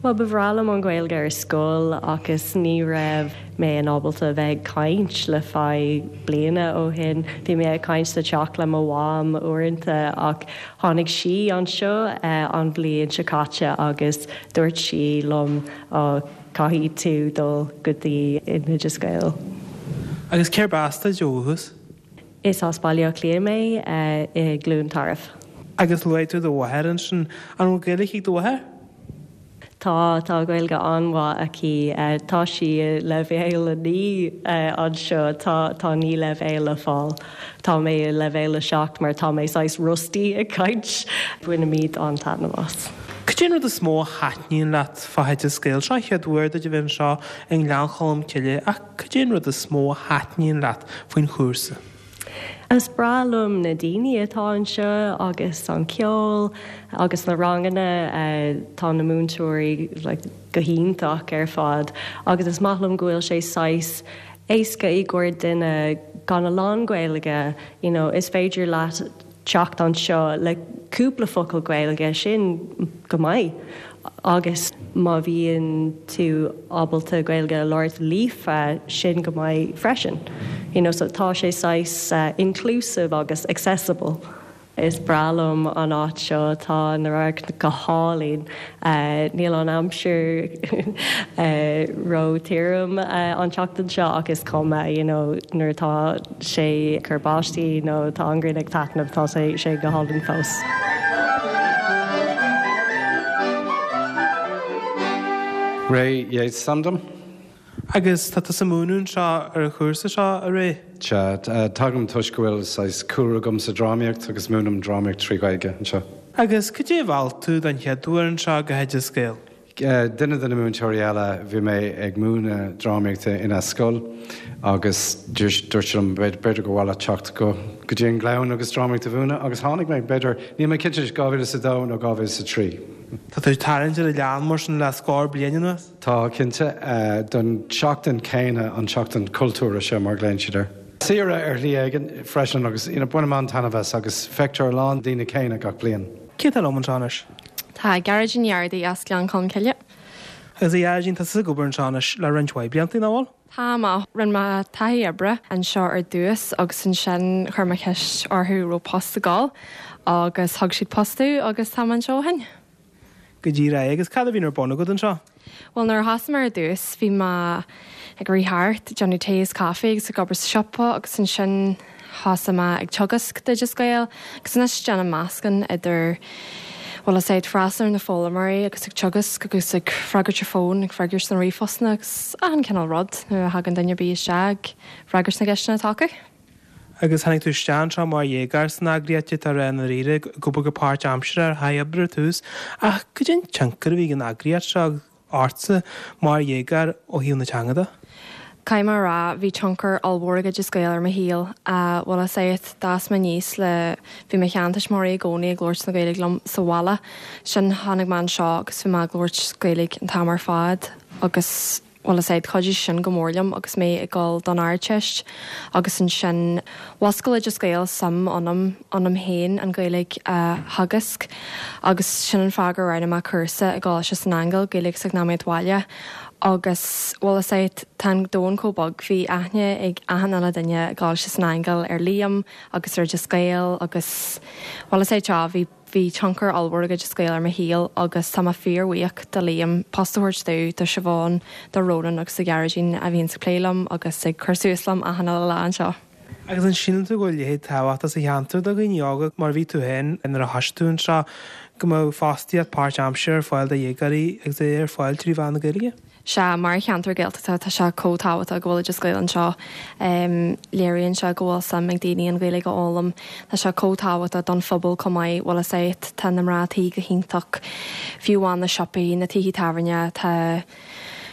Bhuel, ba bhreá liom an Ghaeilge ar scoil agus ní raibh mé in ábalta a bheith ag caint le feadh bliana ó shin. Bhí mé ag caint sa teach le mo mham uaireanta ach tháinig sí anseo an bhliain seo caite agus dúirt sí liom oh caithfidh tú dul go dtí an Oideas Gael. Agus cérb as duit ó dhúchas? Is as Baile Átha Cliath mé, i gCluain Tarbh. Agus luaigh tú do mháthair ansin. An bhfuil Gaeilge ag do mháthair? Tá, tá Gaeilge an-mhaith aici. Tá sí i leibhéal a naoi anseo, tá, tá naoi leibhéal le fáil. Tá mé i leibhéal a seacht mar tá mé saghas rusty ag caint. Bainimid an-taitneamh as. Cad é an rud is mó a thaitníonn leat fá Oideas Gael? Seo an chéad uair duit a bheith anseo i nGleann Cholm Cille ach cad é an rud is mó a thaitníonn leat faoin chúrsa? Is breá liom na daoine atá anseo agus an ceol agus na ranganna. Tá na múinteoirí like go hiontach ar fad agus is maith liom go bhfuil sé saghas éasca i gcomhair duine gan a lán Gaeilge, you know, is féidir leat teacht anseo le cúpla focal Gaeilge, sin go maith. Agus má bhíonn tú ábalta Gaeilge a labhairt líofa, sin go maith freisin. You know, so tá sé saghas inclusive agus accessible. Is breá liom an áit seo, tá an radharc go hálainn. Níl an aimsir ró-thirim an tseachtain seo ach is cuma, you know, nuair atá sé ag cur báistí nó tá an ghrian ag taitneamh, tá sé go hálainn fós. Ray Yeates is ainm dom. Agus tá tusa ag múineadh anseo ar an chúrsa seo, a Ray? Sea, tagaim toisc go bhfuil saghas cúlra agam sa drámaíocht agus múinim drámaíocht trí Ghaeilge anseo. Agus cad é a mheall tú don chéad uair anseo go hOideas Gael? Duine de na múinteoirí eile, bhí mé ag múineadh drámaíochta ina scoil agus dúirt sé liom b'fhéidir gur mhaith leat teacht go go dtí an Gleann agus drámaíocht a mhúineadh agus tháinig mé, b'fhéidir, níl mé cinnte anois, dhá mhíle is a dó nó dhá mhíle is a trí. Tá tú ag tarraingt ar an Ghleann mar sin le scór bliain anuas? Tá, cinnte. Don tseachtain céanna, an tseachtain cultúrtha seo mar a ghlaonn siad air. Saoire ar shlí éigin freisin agus you know bainim an-taitneamh as agus feictear a lán daoine céanna gach bliain. Cé atá liom anseo anois? Tá Gearóidín Ní Ardaí as Gleann Cholm Cille. Agus a Ghearóidín, tá tusa ag obair anseo anois le roinnt mhaith blianta, nach bhfuil? Tá mé. Rinne mé taithí oibre anseo ar dtús agus ansin chuir mé ceist orthu raibh post ag dul agus thug siad post domh agus tá mé anseo ó shin. Go díreach. Agus cad a bhíonn ar bun agat anseo? Bhuel, nuair a thosaigh mé ar dtús, bhí mé ag rith thart, ag déanamh tae is caife agus ag obair sa siopa agus ansin thosaigh mé ag teagasc d'Oideas Gael agus anois déanaim meascán idir, bhfuil a fhios agat freastal ar na foghlaimeoirí agus ag teagasc agus ag freagairt ar fón ag freagairt na ríomhphostanna agus achan cineál rud nuair a thagann duine ar bith isteach ag freagairt na gceisteanna atá acu. Agus tháinig tú isteach anseo mar dhéagóir san eagraíocht atá ar an ríre go go páirtaimseartha ar thaithí oibre ar tús, ach cad é an tionchar a bhí ag an eagraíocht seo ortsa mar dhéagóir ó thaobh na teanga de? Caithfidh mé a rá, bhí tionchar ollmhór ag Oideas Gael ar mo shaol. Bhfuil a fhios agat, d'fhás mé aníos le bhí mo sheantuismitheoirí i gcónaí ag labhairt na Gaeilge liom sa bhaile. Sin tháinig mé anseo agus bhí mé ag labhairt Gaeilge an t-am ar fad agus bhfuil a fhios agat chuidigh sin go mór liom agus mé ag dul don Ardteist agus ansin mhúscail Oideas Gael suim ionam ionam féin an Ghaeilge a theagasc agus sin an fáth gur roghnaigh mé cúrsa i gColáiste San Aingeal Gaeilge agus Eacnamaíocht Bhaile agus bhfuil a fhios agat tá an domhan chomh beag bhí aithne ag achan uile duine i gColáiste San Aingeal ar Liam agus ar Oideas Gael agus bhfuil a fhios agat bhí bhí tionchar ollmhór ag Oideas Gael ar mo shaol agus tá mé fíorbhuíoch do Liam post a thabhairt domh do Siobhán do Ronan agus do Ghearóidín a bhíonn ag plé liom agus ag cur suas liom achan uile lá anseo. Agus an síleann tú go bhfuil leithéid tábhachtach sa cheantar do dhaoine óga mar bhí tú féin nuair a thosaigh tú anseo go mbeadh fostaíocht páirtaimseartha ar fáil do dhéagóirí agus é ar fáil trí mheán na Gaeilge? Sea mar cheantar Gaeltachta tá sé chomh tábhachtach go bhfuil Oideas Gael anseo. Um, léiríonn sé go bhfuil suim ag daoine an Ghaeilge a fhoghlaim, Tá sé chomh tábhachtach don phobal chomh maith bhfuil a fhios agat tá na mná tí go hiontach fiú amháin na siopaí na tithe tábhairne tá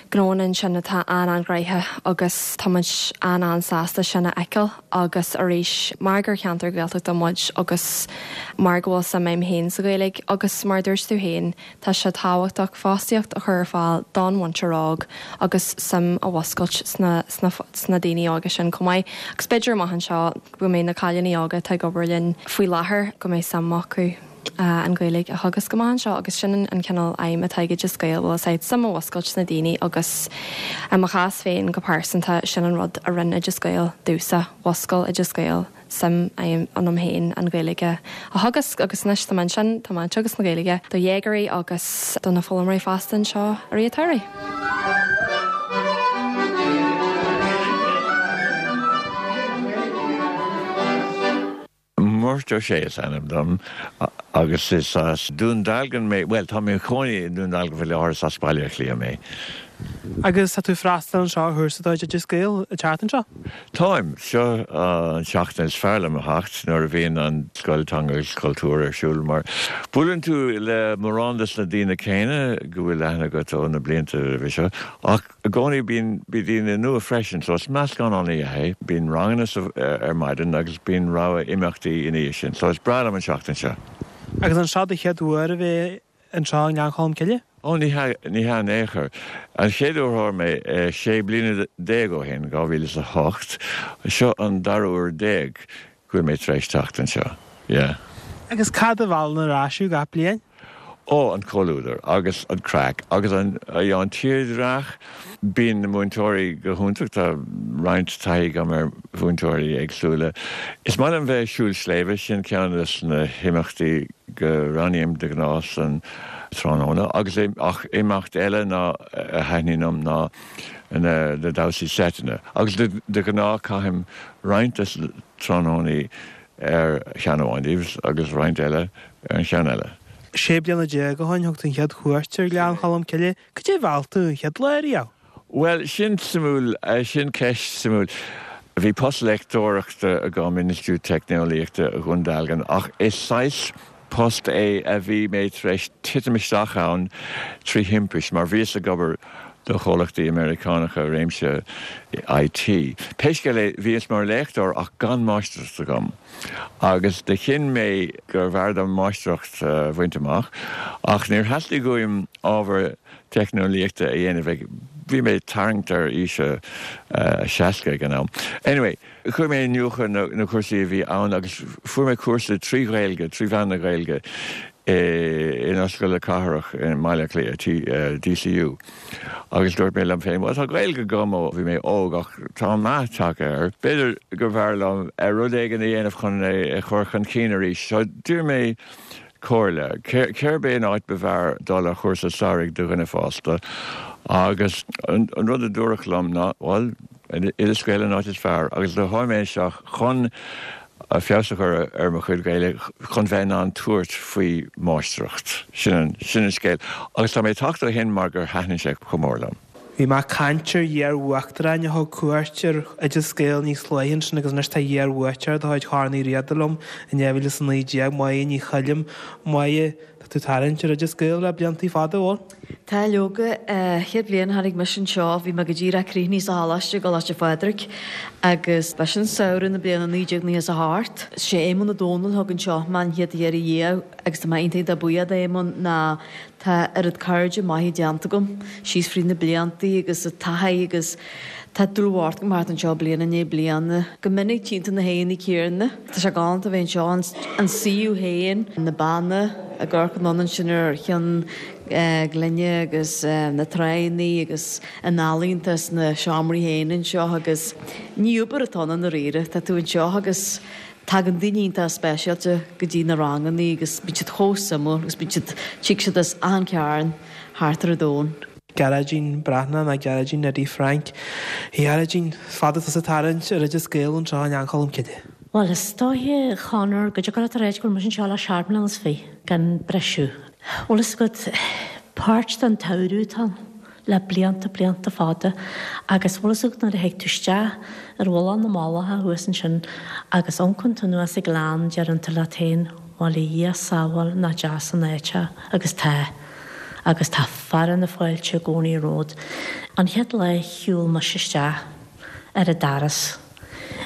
gnóanna ansin atá an-an-ghnoitheach agus táimid an-an-sásta sin a fheiceáil agus arís mar gur cheantar Gaeltachta muid agus mar go bhfuil suim agam féin sa Ghaeilge agus mar dúirt tú féin tá sé tábhachtach fostaíocht a chur ar fáil don mhuintir óg agus suim a mhúscailt sna, sna, sna daoine óga sin chomh maith. Agus b'fhéidir amach anseo go mbeidh na cailíní óga atá ag obair linn faoi láthair go mbeidh suim acu uh, an Ghaeilge a theagasc amach anseo agus sin an cineál aidhm atá ag Oideas Gael bhfuil a fhios agat suim a mhúscailt sna daoine agus i mo chás féin go pearsanta sin an rud a rinne Oideas Gael domhsa mhúscail Oideas Gael suim ionam féin an Ghaeilge a theagasc agus anois tá mé ansin tá mé ag teagasc na Gaeilge do dhéagóirí agus do na foghlaimeoirí fásta anseo i rith an tsamhraidh. Murt Ó Sé is ainm dom agus is as Dún Dealgan mé well tá mé i mo chónaí i nDún Dealgan faoi láthair as Baile Átha Cliath mé. Agus tá tú freastal anseo ar chúrsa d'Oideas Gael an tseachtain seo? Táim seo an seachtain is fearr liom a theacht nuair a bhíonn an scoil teanga agus cultúr ar siúl mar buaileann tú le mórán des na daoine céanna go bhfuil aithne agat ó na blianta roimhe seo ach i gcónaí bíonn bí daoine nua freisin, so is meascán an-mhaith é, bíonn ranganna ar maidin agus bíonn rogha imeachtaí ina dhiaidh sin, so is breá liom an seachtain seo. Agus an seo do chéad uair a bheith anseo i nGleann Cholm Cille? Ó ní ní hea in aon chor. An chéad uair mé sé bliana déag ó shin dhá mhíle is a hocht, seo an dara huair déag go bhfuil mé tar éis teacht anseo. Yeah. Agus cad a mheallann ar ais thú gach bliain? Ó an comhluadar agus an craic agus an an tírdhreach bíonn na múinteoirí go hiontach tá roinnt taithí agam ar mhúinteoirí éagsúla. Is maith liom bheith ag siúl sléibhe sin ceann de na himeachtaí go roghnaím de ghnáth san tráthnóna agus ach imeacht eile ná a thaitníonn liom ná na na damhsaí seiteanna agus de, de ghnáth caithim roinnt des na tráthnónaí ar cheann amháin díobh agus roinnt eile ar an cheann eile. Sé bliana déag ó shin thug tú an chéad chuairt ar Ghleann Cholm Cille, cad é a mheall tú an chéad lá riamh? Well sin suimiúil sin ceist suimiúil. Bhí post léachtóireachta agam in Institiúid Teicneolaíochta Dhún Dealgan ach is saghas post é a bhí mé tar éis titim isteach ann trí thimpiste mar bhíos ag obair do chomhlachtaí Meiriceánacha réimse IT. Pé scéal é bhíos mar léachtóir ach gan máistreacht agam. Agus do chinn mé gur bhfearr dom máistreacht a bhaint amach, ach níor theastaigh uaim ábhar teicneolaíochta a dhéanamh ag bhí mé tarraingt ar aois a seasca ag an am. Anyway, chuir mé iniúchadh na, na cúrsaí a bhí ann agus fuair mé cúrsa trí Ghaeilge, trí mheán na Gaeilge in Ollscoil na Cathrach i mBaile Átha Cliath, DCU. Agus dúirt mé liom féin, well tá Gaeilge agam ó bhí mé óg ach tá meath tagtha air. B'fhéidir go bhfearr liom rud éigin a dhéanamh chun é a chur chun cinn arís. So d'iarr mé comhairle. Cérb é an áit ba bhfearr dul ar chúrsa samhraidh do dhuine fásta. Agus an, an rud a dúradh liom ná well Oideas Gael an áit is fearr, agus do tháinig mé isteach chun Feabhas a chur ar mo chuid Gaeilge chun bheith in ann tabhairt faoi mháistreacht. Sin an sin an scéal. Agus tá mé ag teacht ó shin mar gur thaitin sé chomh mór liom. Bhí mé ag caint ar iar-uachtaráin a thug cuairt ar Oideas Gael níos luaithe ansin agus anois tá iar-bhuaiteoir de chuid Chorn Uí Riada liom in dhá mhíle is a naoi déag, Máire Ní Choilm. Máire, tá tú ag tarraingt ar Oideas Gael le bliantaí fada, an bhfuil? Tá, leoga. Chéad bhliain a tháinig mise anseo bhí mé go díreach críochnaithe sa choláiste, i gColáiste Phádraig, agus b'shin samhradh na bliana naoi déag nócha is a hocht. Sé Éamonn Ó Dónaill a thug anseo mé an chéad iarraidh riamh agus tá mé iontach iontach buíoch d'Éamonn ná Tá oiread cairde maithe déanta agam síos fríd na bliantaí agus an taithí agus tá dlúthpháirt agam thart anseo bliain i ndiaidh bliana. Go minic tchíonn tú na haghaidheanna céanna. Tá sé galánta a bheith anseo, an suíomh féin, na beanna ag amharc anonn ansin ar Chionn Ghlinne agus na tránna agus an ealaín atá sna seomraí féin anseo agus ní obair atá ann i ndáiríre, tá tú anseo agus Tagann daoine iontach speisialta go dtí na ranganna agus bíonn siad chomh suimiúil agus bíonn siad, tig siad as achan chearn thart ar an domhan. Gearóidín Breathnach ná Gearóidín Neidí Frainc. A Ghearóidín, fada tusa ag tarraingt ar Oideas Gael anseo i nGleann Cholm Cille. Bhuel, is dóiche, a Chonor, go dtiocfadh leat a ráit go bhfuil mise anseo le seacht mbliana is fiche, gan briseadh. Bhfuil fhios agat, páirt den tsamhradh atá ann. le blianta, blianta fada agus bhfuil fhios agat nuair a thig tú isteach ar mhullach na Mullach thuas ansin agus amharcann tú anuas an gleann deireann tú leat féin bhuel a Dhia sábháil nach deas an áit é agus tá agus tá fearadh na fáilte i gcónaí romhat. An chéad lá a shiúil mise isteach ar an doras,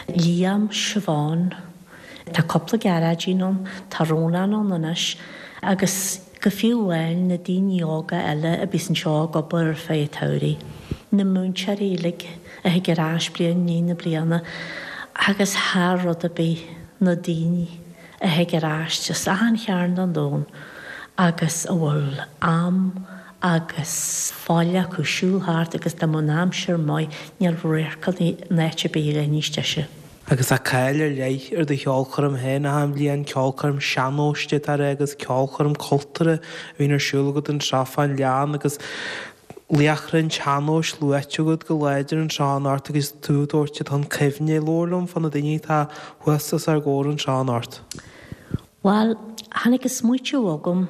Liam, Siobhán, Tá cúpla Gearóidín ann, tá Rónán ann anois agus go fiú amháin na daoine óga eile a bíos anseo ag obair ar feadh an tsamhraidh, na múinteoirí uilig a thig ar ais bliain i ndiaidh na bliana agus thar rud ar bith na daoine a thig ar ais as achan chearn den domhan agus a bhfuil am agus faill acu siúl thart agus dá mbeadh an aimsir maith níl radharc in áit ar bith a bheadh níos deise. Agus tá cáil ar leith ar do cheolchoirm féin achan bhliain, ceolchoirm sean-nóis atá air agus ceolchoirm cultúrtha a bhíonn ar siúl agat anseo fán ghleann agus laochra an tsean-nóis luaite agat go láidir anseo anocht agus tú ag tabhairt iad chun cuimhne. Labhair liom fá na daoine atá thuas os ár gcomhair anseo anocht. Bhuel, tháinig an smaoitiú agam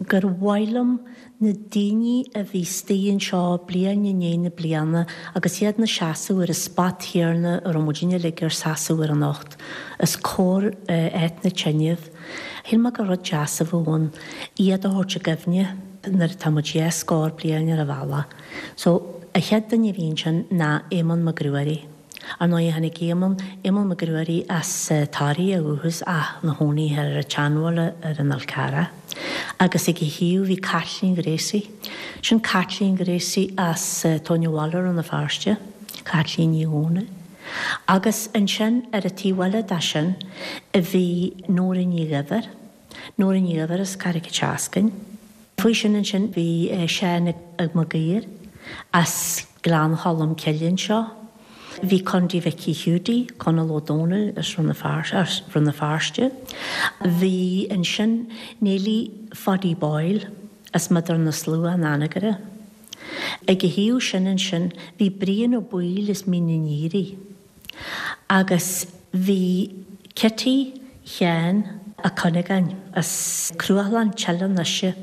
gur mhaith liom na daoine a bhí istigh anseo bliain i ndiaidh na bliana agus iad 'na seasamh ar an spot chéanna a raibh muidinne uilig ár seasamh air anocht os comhair áit na teineadh. Shíl mé gur rud deas a bheadh ann iad a thabhairt i gcuimhne nuair atá muid dhá scór bliain ar an bhealach. So, an chéad duine a bhí ansin ná Éamonn Mac Ruairí. Ar ndóigh, tháinig Éamonn, Éamonn Mac Ruairí as Toraigh ó dhúchas ach ina chónaí ar an tSeanbhaile ar an Fhál Carrach. Agus ag a thaobh bhí Caitlín Ghracie. Sin Caitlín Ghracie as Tóin an Bhaile, Rann na Feirste, Caitlín Ní Dhomhnaill. Agus ansin ar an taobh eile de sin bhí Nóra Ní Dhuibhir, Nóra Ní Dhuibhir as Carraig an tSeascainn. Faoi sin ansin bhí Seán Mac Uidhir as Gleann Cholm Cille anseo. Bhí Condy Mhicí Hiúdaí, Conall Ó Dónaill as Rann na Feirste. Bhí ansin Neilí Phaidí Boyle as Miodar na Slua in Anagaire. Ag a thaobh sin ansin bhí Brian Ó Baoill as Mín an Aoraigh. Agus bhí Kitty Sheáin Ó Cuinneagáin as Cruachlann Teileann Uise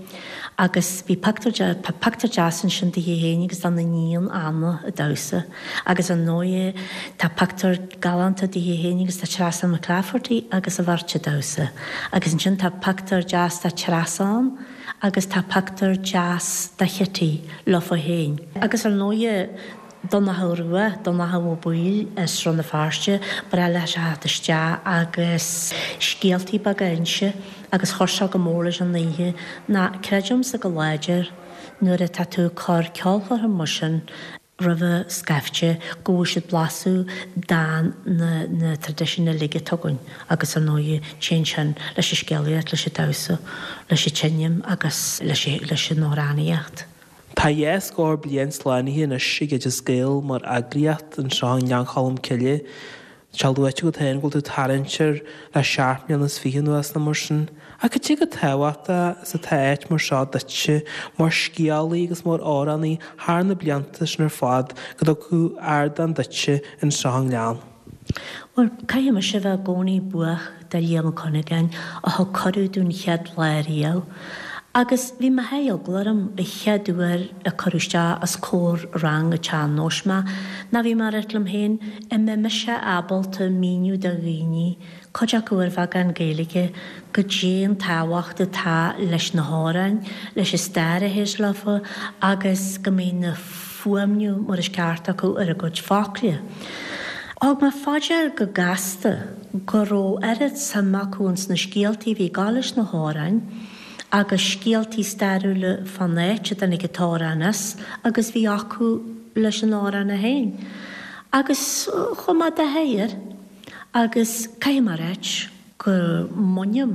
agus bhí pictiúr pictiúr deas ansin di féin agus dá n-iníon Anna ag damhsa agus ar ndóighe tá pictiúr galánta di féin agus de Treasa McClafferty agus a bheirt ag damhsa agus ansin tá pictiúr deas de Treasa ann agus tá pictiúr deas de Chitty leofa féin. Agus ar ndóighe Donnchadh Rua, Donnchadh Ó Baoill as Rann na Feirste, ba bhreá leis a theacht isteach agus scéaltaí beaga a inse agus chuir sé go mór leis an oíche. Ná creidimse go láidir nuair atá tú ag cur ceolchoirm mar sin roimhe scaifte go bhfuil siad blaiseadh de na na traidisiúin uilig atá againn agus ar ndóighe téann sin leis an scéalaíocht, leis an damhsa, leis an tseinm agus leis leis an amhránaíocht. Tá dhá scór bliain slánaithe anois ag Oideas Gael mar eagraíocht anseo i nGleann Cholm Cille. Tá sé luaite agat féin go bhfuil tú ag tarraingt air le seacht mbliana is fiche anuas nó mar sin. Ach cad é chomh tábhachtach is atá áit mar seo duitse mar scéalaí agus mar amhránaí thar na blianta sin ar fad go dtugadh ardán duitse anseo i nGleann? Bhuel, caithfidh mise a bheith i gcónaí buíoch de Liam Ó Cuinneagáin a thug cuireadh dúinn chéad lá riamh. Agus bhí mo sháith eagla orm an chéad uair a cuireadh isteach os comhair rang an tsean-nóis mé, ná bhí mé ag ráit liom féin, an mbeidh mise ábalta míniú do dhaoine, cuid acu ar bheagán Gaeilge, goidé an tábhacht atá leis na hamhráin, leis an stair a théis leofa agus go mbeidh na fuaimniú mar is ceart acu ar a gcuid focla. Thug mé fá dear go gasta go raibh oiread suim acu ins na scéaltaí a bhí ag gabháil leis na hamhráin agus scéaltaí stairiúla fán áit a dtáinig an t-amhrán as agus bhí acu leis an amhrán é féin. Agus chuaigh mé de sháith air agus caithfidh mé a ráit go mbainim,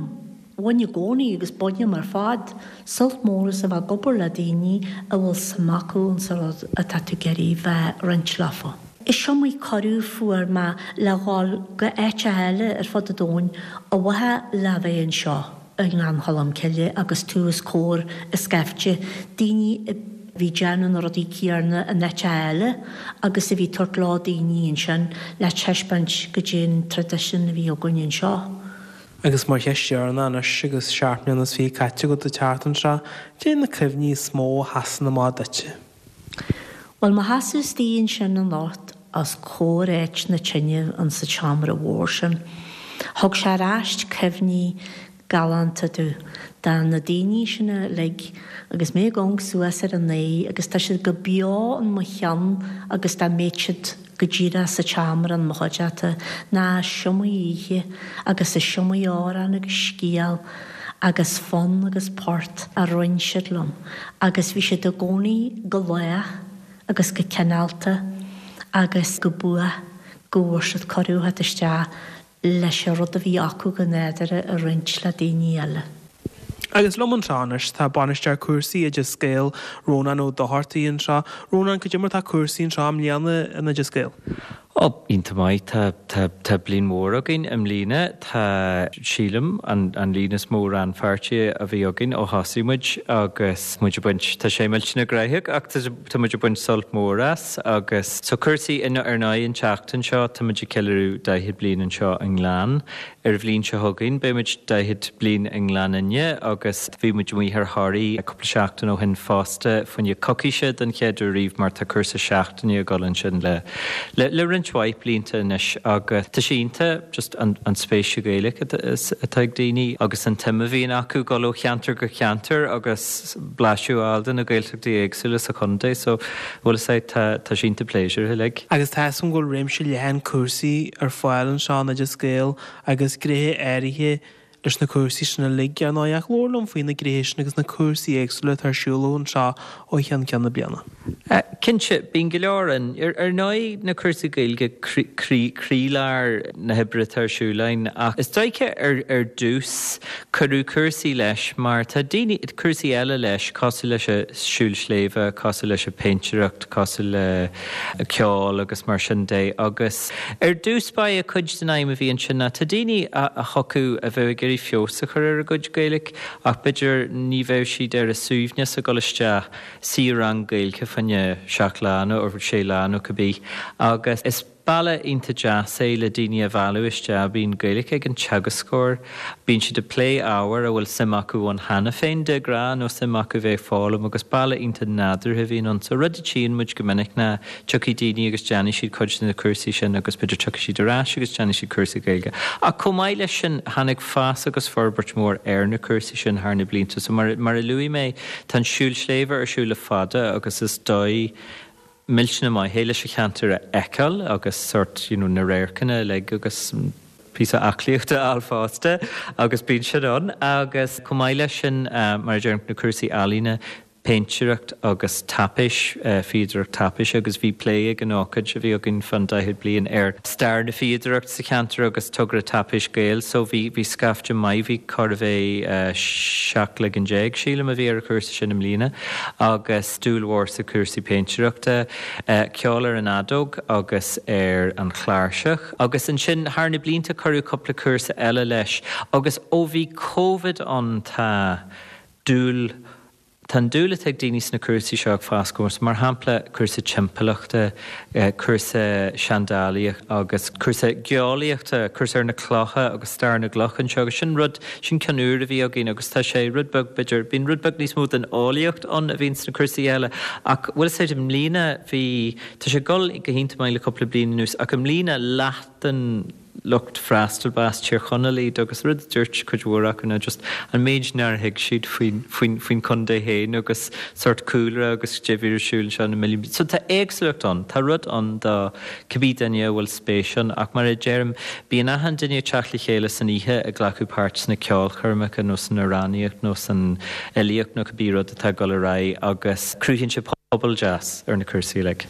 bhain i gcónaí agus bainim ar fad sult mór as a bheith ag obair le daoine a bhfuil suim acu insa rud atá tú ag iarraidh bheith ag roinnt leofa. Is iomaí cuireadh fuair mé le dhul go áiteacha eile ar fud an domhain ar mhaithe le bheith anseo i nGleann Cholm Cille agus tú os comhair an scaifte daoine a bhí déanamh na rudaí céarna in áiteacha eile agus a bhí tabhairt leo daoine ansin le taispeáint goidé an traidisiún a bhí againn anseo. Agus mar cheist dheireanach anois agus seacht mbliana is fiche caite agat ag teacht anseo, cad é na cuimhní is mó a sheasann amach duitse? Bhuel, mo sheasamh istigh ansin anocht os comhair áit na tine insa tseomra mhór sin, thug sé ar ais cuimhní galánta domh de na daoine sin uilig agus mé ag amharc suas ar a n-aghaidh agus tá siad go beo in mo cheann agus dá mbeadh siad go díreach sa tseomra in mo chuideachta ná is iomaí oíche agus is iomaí amhrán agus scéal agus fonn agus port a roinn siad liom agus bhí siad i gcónaí go lách agus go cineálta agus go buíoch go bhfuair siad cuireadh theacht isteach leis an rud a bhí acu go nádúrtha a roinnt le daoine eile. Agus liom anseo anois tá Bainisteoir Cúrsaí Oideas Gael, Rónán Ó Dochartaigh anseo. Rónán, cad é mar tá cúrsaí anseo i mbliana in Oideas Gael? Ó, iontach maith. Tá, tá, tá bliain mhór againn i mbliana. Tá, sílim, an, an líon is mó rannpháirtí a bhí againn ó thosaigh muid agus muid ag baint, tá sé millteanach gnóthach ach tá, tá muid ag baint sult mór as agus so cúrsaí in, ar ndóigh an tseachtain seo tá muid ag ceiliúradh daichead bliain anseo i nGleann. Ar an bhliain seo chugainn beidh muid daichead bliain i nGleann Fhinne agus bhí muid amuigh ar Thoraigh cúpla seachtain ó shin fosta fá choinne coicíse den chéad uair riamh mar tá cúrsa seachtaine ag dul ansin le, le, le roinnt mhaith blianta anois agus tá sé iontach just an, an spéis sa Ghaeilge atá ag daoine agus an tsuim a bhíonn acu dul ó cheantar go ceantar agus blaiseadh a fháil de na Gaeltachtaí éagsúla sa chontae so bhuel is é tá tá sé iontach pléisiúrtha uilig. Agus tá fhios agam go bhfuil réimse leathan cúrsaí ar fáil anseo in Oideas Gael agus gnéithe áirithe leis na cúrsaí sin uilig, ar ndóigh, ach labhair liom faoi na gnéithe sin agus na cúrsaí éagsúla atá ar siúl anseo ó cheann ceann na bliana. Cinnte, bíonn go leor ann. Ar ndóigh, na cúrsaí Gaeilge croílár na hoibre atá ar siúl againn, ach is dóiche ar ar dtús cuireadh cúrsaí leis mar tá daoine, cúrsaí eile leis, cosúil leis an siúl sléibhe, cosúil leis an péintéireacht, cosúil le ceol agus mar sin de agus ar dtús ba é cuid den aidhm a bhí ansin ná tá daoine a thiocfadh a bheadh ag iarraidh feabhas a chur ar a gcuid Gaeilge ach b'fhéidir ní bheadh siad ar a suaimhneas ag dul isteach suí i rang Gaeilge fá choinne seacht lá nó sé lá nó cibé agus is bealach iontach deas é le daoine a mhealladh isteach. Bíonn Gaeilge ag an teagascóir, bíonn siad ag plé ábhair a bhfuil suim acu ann cheana féin de ghnáth nó suim acu bheith ag foghlaim agus bealach iontach nádúrtha a bhíonn ann. So rud a tchíonn muid go minic ná tiocfaidh daoine agus déanfaidh siad cuid de na cúrsaí sin agus b'fhéidir tiocfaidh siad ar ais agus déanfaidh siad cúrsa Gaeilge. Ach chomh maith leis sin tháinig fás agus forbairt mhór ar na cúrsaí sin thar na blianta. So mar, mar a luaigh mé, tá an siúl sléibhe ar siúl le fada agus is dóigh millteanach maith é leis an cheantar a fheiceáil agus sort you know, na radharcanna uilig agus píosa aclaíochta a fháil fosta agus bíonn sin ann agus chomh maith leis sin uh, mar a deirim na cúrsaí ealaíne péintéireacht agus taipéis, fíodóireacht taipéise agus bhí plé ag an ócáid a bhí againn fan daichead bliain ar stair na fíodóireachta sa cheantar agus togra Taipéis Gael so bhí bhí scaifte maith, bhí chóir a bheith seacht leagan déag sílim a bhí ar an chúrsa sin i mbliana agus dúil mhór sa cúrsaí péintéireachta, ceol ar an fheadóg agus ar an chláirseach agus ansin thar na blianta cuireadh cúpla cúrsa eile leis agus ó bhí Covid ann tá dúil Tá an dúil atá ag daoine sna cúrsaí seo ag fás go mór, mar shampla cúrsa timpeallachta, cúrsa seandálaíochta agus cúrsa geolaíochta, cúrsa ar na clocha agus stair na gcloch anseo agus sin rud, sin ceann úr a bhí againn agus tá sé rud beag, b'fhéidir, bíonn rud beag níos mó den eolaíocht ann a bhíonn sna cúrsaí eile ach bhfuil fhios agat i mbliana bhí, tá sé ag dul go hiontach maith le cúpla bliain anuas ach i mbliana leath den lucht freastail ba as Tír Chonaill iad agus rud a dúirt cuid mhór acu ná just an méid nár thuig siad faoin, faoin, faoin chontae féin agus sórt cúlra agus cad é a bhí ar siúl anseo na milliún bliain. So tá éagsúlacht ann, tá rud ann do cibé duine a bhfuil spéis ann ach mar a deirim, bíonn achan duine ag teacht le chéile san oíche ag glacadh páirt sna ceolchoirmeacha nó san amhránaíocht nó san fhilíocht nó cibé rud atá ag dul ar aghaidh agus cruthaíonn sé pobal deas ar na cúrsaí uilig.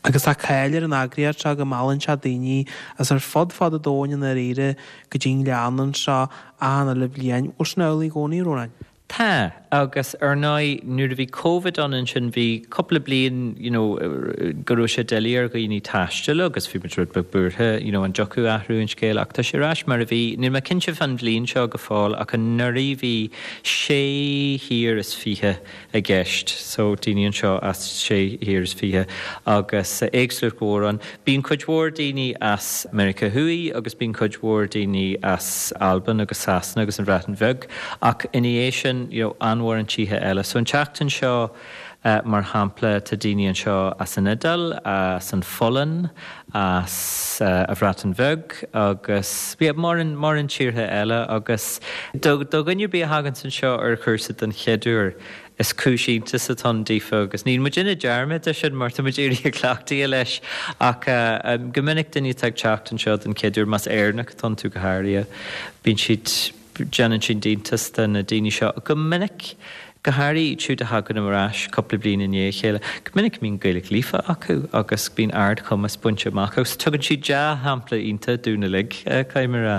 Agus tá cáil ar an eagraíocht seo go meallann sé daoine as ar fud fad an domhain i ndáiríre go dtí an Gleann anseo achan uile bhliain. Bhfuil sin amhlaidh i gcónaí, a Rónáin? Tá, agus ar ndóigh nuair a bhí Covid ann ansin bhí cúpla bliain you know go raibh sé doiligh ar dhaoine taisteal agus bhí muid rud beag buartha you know an dtiocfadh athrú an scéil ach tá sé ar ais mar a bhí. Níl mé cinnte fán bhliain seo go fóill ach anuraidh bhí sé thír is fiche i gceist so daoine anseo as sé thír is fiche agus éagsúlacht mhór ann. Bíonn cuid mhór daoine as Meiriceá Thuaidh agus bíonn cuid mhór daoine as Albain agus Sasana agus an Bhreatain Bheag ach ina dhiaidh sin you know an-mhórán tíortha eile. So an tseachtain seo mar shampla tá daoine anseo as an Iodáil, as an Pholainn, as an Bhreatain Bheag agus yeah mórán mórán tíortha eile agus do do dhuine ar bith a thaganns anseo ar chúrsa den chéad uair is cúis iontais atá ann daofa agus níl muid ag déanamh dearmad de sin mar tá muid éirithe cleachtaithe leis ach go minic duine atá ag teacht anseo den chéad uair, más Éireannach atá iontu go háirithe, bíonn siad, déanann siad iontas de na daoine seo go minic, go háirithe iad siúd a thagann ar ais cúpla bliain i ndiaidh a chéile, go minic bíonn Gaeilge líofa acu agus bíonn ardchumas bainte amach acu. Tugann siad dea-shampla iontach dúinn uilig, caithfidh mé a rá.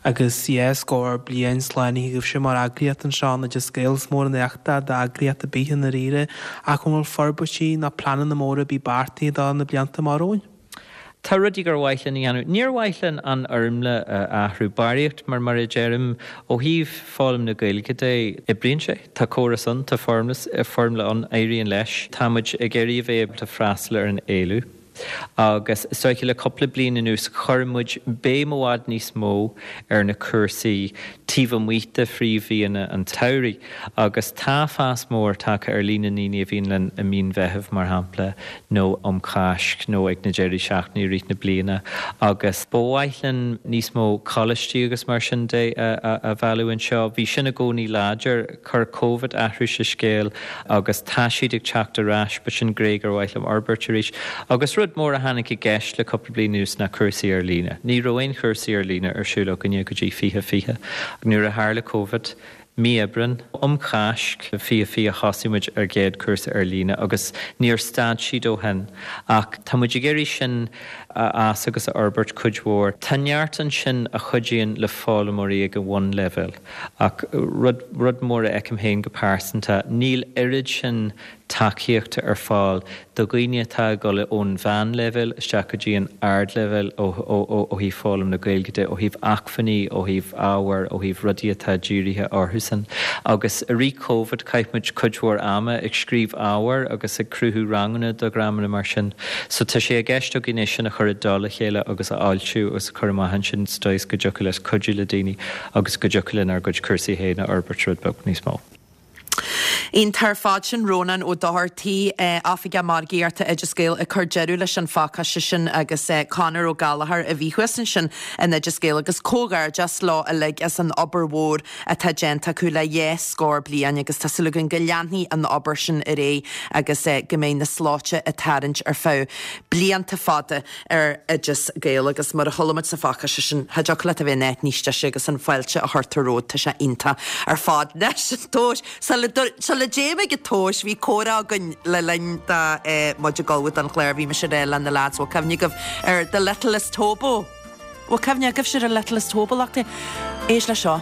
Agus dhá scór bliain slánaithe agaibhse mar eagraíocht anseo in Oideas Gael, is mór an éacht é d'eagraíocht ar bith i ndáiríre, ach an bhfuil forbairtí nó pleananna móra ar bith beartaithe do na blianta amach romhainn? Tá rudaí gur mhaith linn a dhéanamh. Níor mhaith linn an fhoirmle a athrú, barraíocht, mar mar a deirim, ó thaobh foghlaim na Gaeilge de, oibríonn sé. Tá córas ann, tá foirmle ann, éiríonn leis. Tá muid ag iarraidh a bheith ábalta freastal ar an éileamh. Agus is dóiche le cúpla bliain anuas chuir muid béim i bhfad níos mó ar na cúrsaí taobh amuigh de phríomh-mhíonna an tsamhraidh agus tá fás mór tagtha ar líon na ndaoine a bhíonn linn i mí an Mheithimh, mar shampla, nó um Cháisc nó ag na deirí seachtaine i rith na bliana agus ba mhaith linn níos mó coláistí agus mar sin de a mhealladh anseo. Bhí sin i gcónaí láidir, chuir Covid athrú sa scéal agus tá siad ag teacht ar ais, but sin gné gur mhaith liom a fhorbairt arís. Agus rud mór a tháinig i gceist le cúpla bliain anuas ná cúrsaí ar líne. Ní raibh aon chúrsaí ar líne ar siúl againne go dtí fiche fiche. Nuair a tharla Covid, mí Aibreán, um Cháisc fiche fiche thosaigh muid ár gcéad chúrsa ar líne agus níor stad siad ó shin. Ach tá muid ag iarraidh sin a fhás agus a fhorbairt cuid mhór. Tá neart ansin a chuidíonn le foghlaimeoirí ag an bhunleibhéal ach rud, rud mór a fheicim féin go pearsanta, níl oiread sin tacaíochta ar fáil do dhaoine atá ag dul ón mheánleibhéal isteach go dtí an ardleibhéal ó thaobh foghlaim na Gaeilge de, ó thaobh acmhainní, ó thaobh ábhair, ó thaobh rudaí atá dírithe orthusan. Agus i rith Covid chaith muid cuid mhór ama ag scríobh ábhair agus ag cruthú ranganna do dhreamanna mar sin. So tá sé i gceist againn é sin a chur i dtoll a chéile agus a fhoilsiú agus a chur amach ansin sa dóigh is go dtiocfadh leis cuidiú le daoine agus go dtiocfadh linn ár gcuid cúrsaí féin a fhorbairt rud beag níos mó. Iontach ar fad sin Rónán Ó Dochartaigh, Oifigeach Margaíochta Oideas Gael ag cur deireadh leis an phacáiste sin agus Conor Ó Gallchóir a bhí thuas ansin in Oideas Gael agus comhghairdeas leo uilig as an obair mhór atá déanta acu le dhá scór bliain agus tá súil againn go leanfaidh an obair sin ar aghaidh agus go mbeidh na sluaite ag tarraingt ar feadh blianta fada ar Oideas Gael agus mar a chuala muid sa phacáiste sin, cha dtiocfadh leat a bheith in áit níos deise agus an fáilte a chuirtear romhat, tá sé iontach ar fad. Anois an tomhas, sula dtéim ag an tomhas, bhí comhrá againn le linn do muid ag ullmhú don chlár, bhí mise ag rá le na lads, bhfuil cuimhne agaibh ar The Littlest Hobo? Bhfuil cuimhne agaibhse ar an Littlest Hobo, lucht Éist le seo.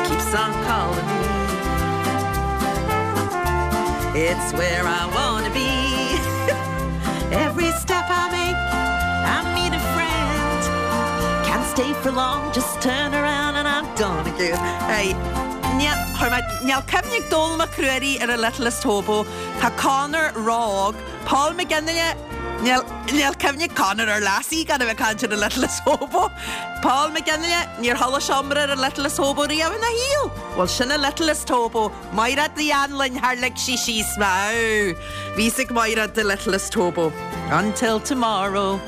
Keeps on calling me It's where I wanna be Every step I make I meet a friend Can't stay for long, just turn around and I'm gone again. Hey, Níl cuimhne ag Dónall Mac Ruairí ar a Littlest Hobo, Tá Conor ró-óg, Paul McGinley Níl cuimhne ag Conor ar Lassie gan a bheith ag caint ar a Littlest Hobo. Paul McGinley níor chuala sé iomrá ar a Littlest Hobo riamh ina shaol. Bhuel sin a Littlest Hobo, Mairéad Ní Anluain thar lig sí síos mé. Bhí a fhios ag Mairéad the Littlest Hobo. Until tomorrow.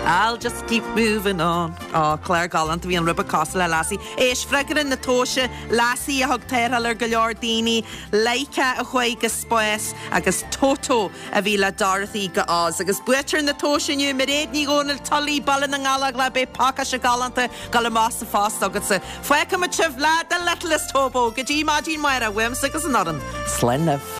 I'll just keep moving on. Á clár galánta bhí an ribe cosúil le Lassie. Éist freagra na tomhaise Lassie a thug tarrtháil ar go leor daoine, Laika a chuaigh go spás agus Toto a bhí le Dorothy go Oz. Agus buaiteoir na tomhaise inniu Mairéad Ní Dhomhnaill Tully Baile na nGallóglach beidh pacáiste galánta ag dul amach sa phost agatsa. Fágfaimid sibh le The Littlest Hobo go dtí maidin amárach uaimse agus an fhoireann. Slán libh.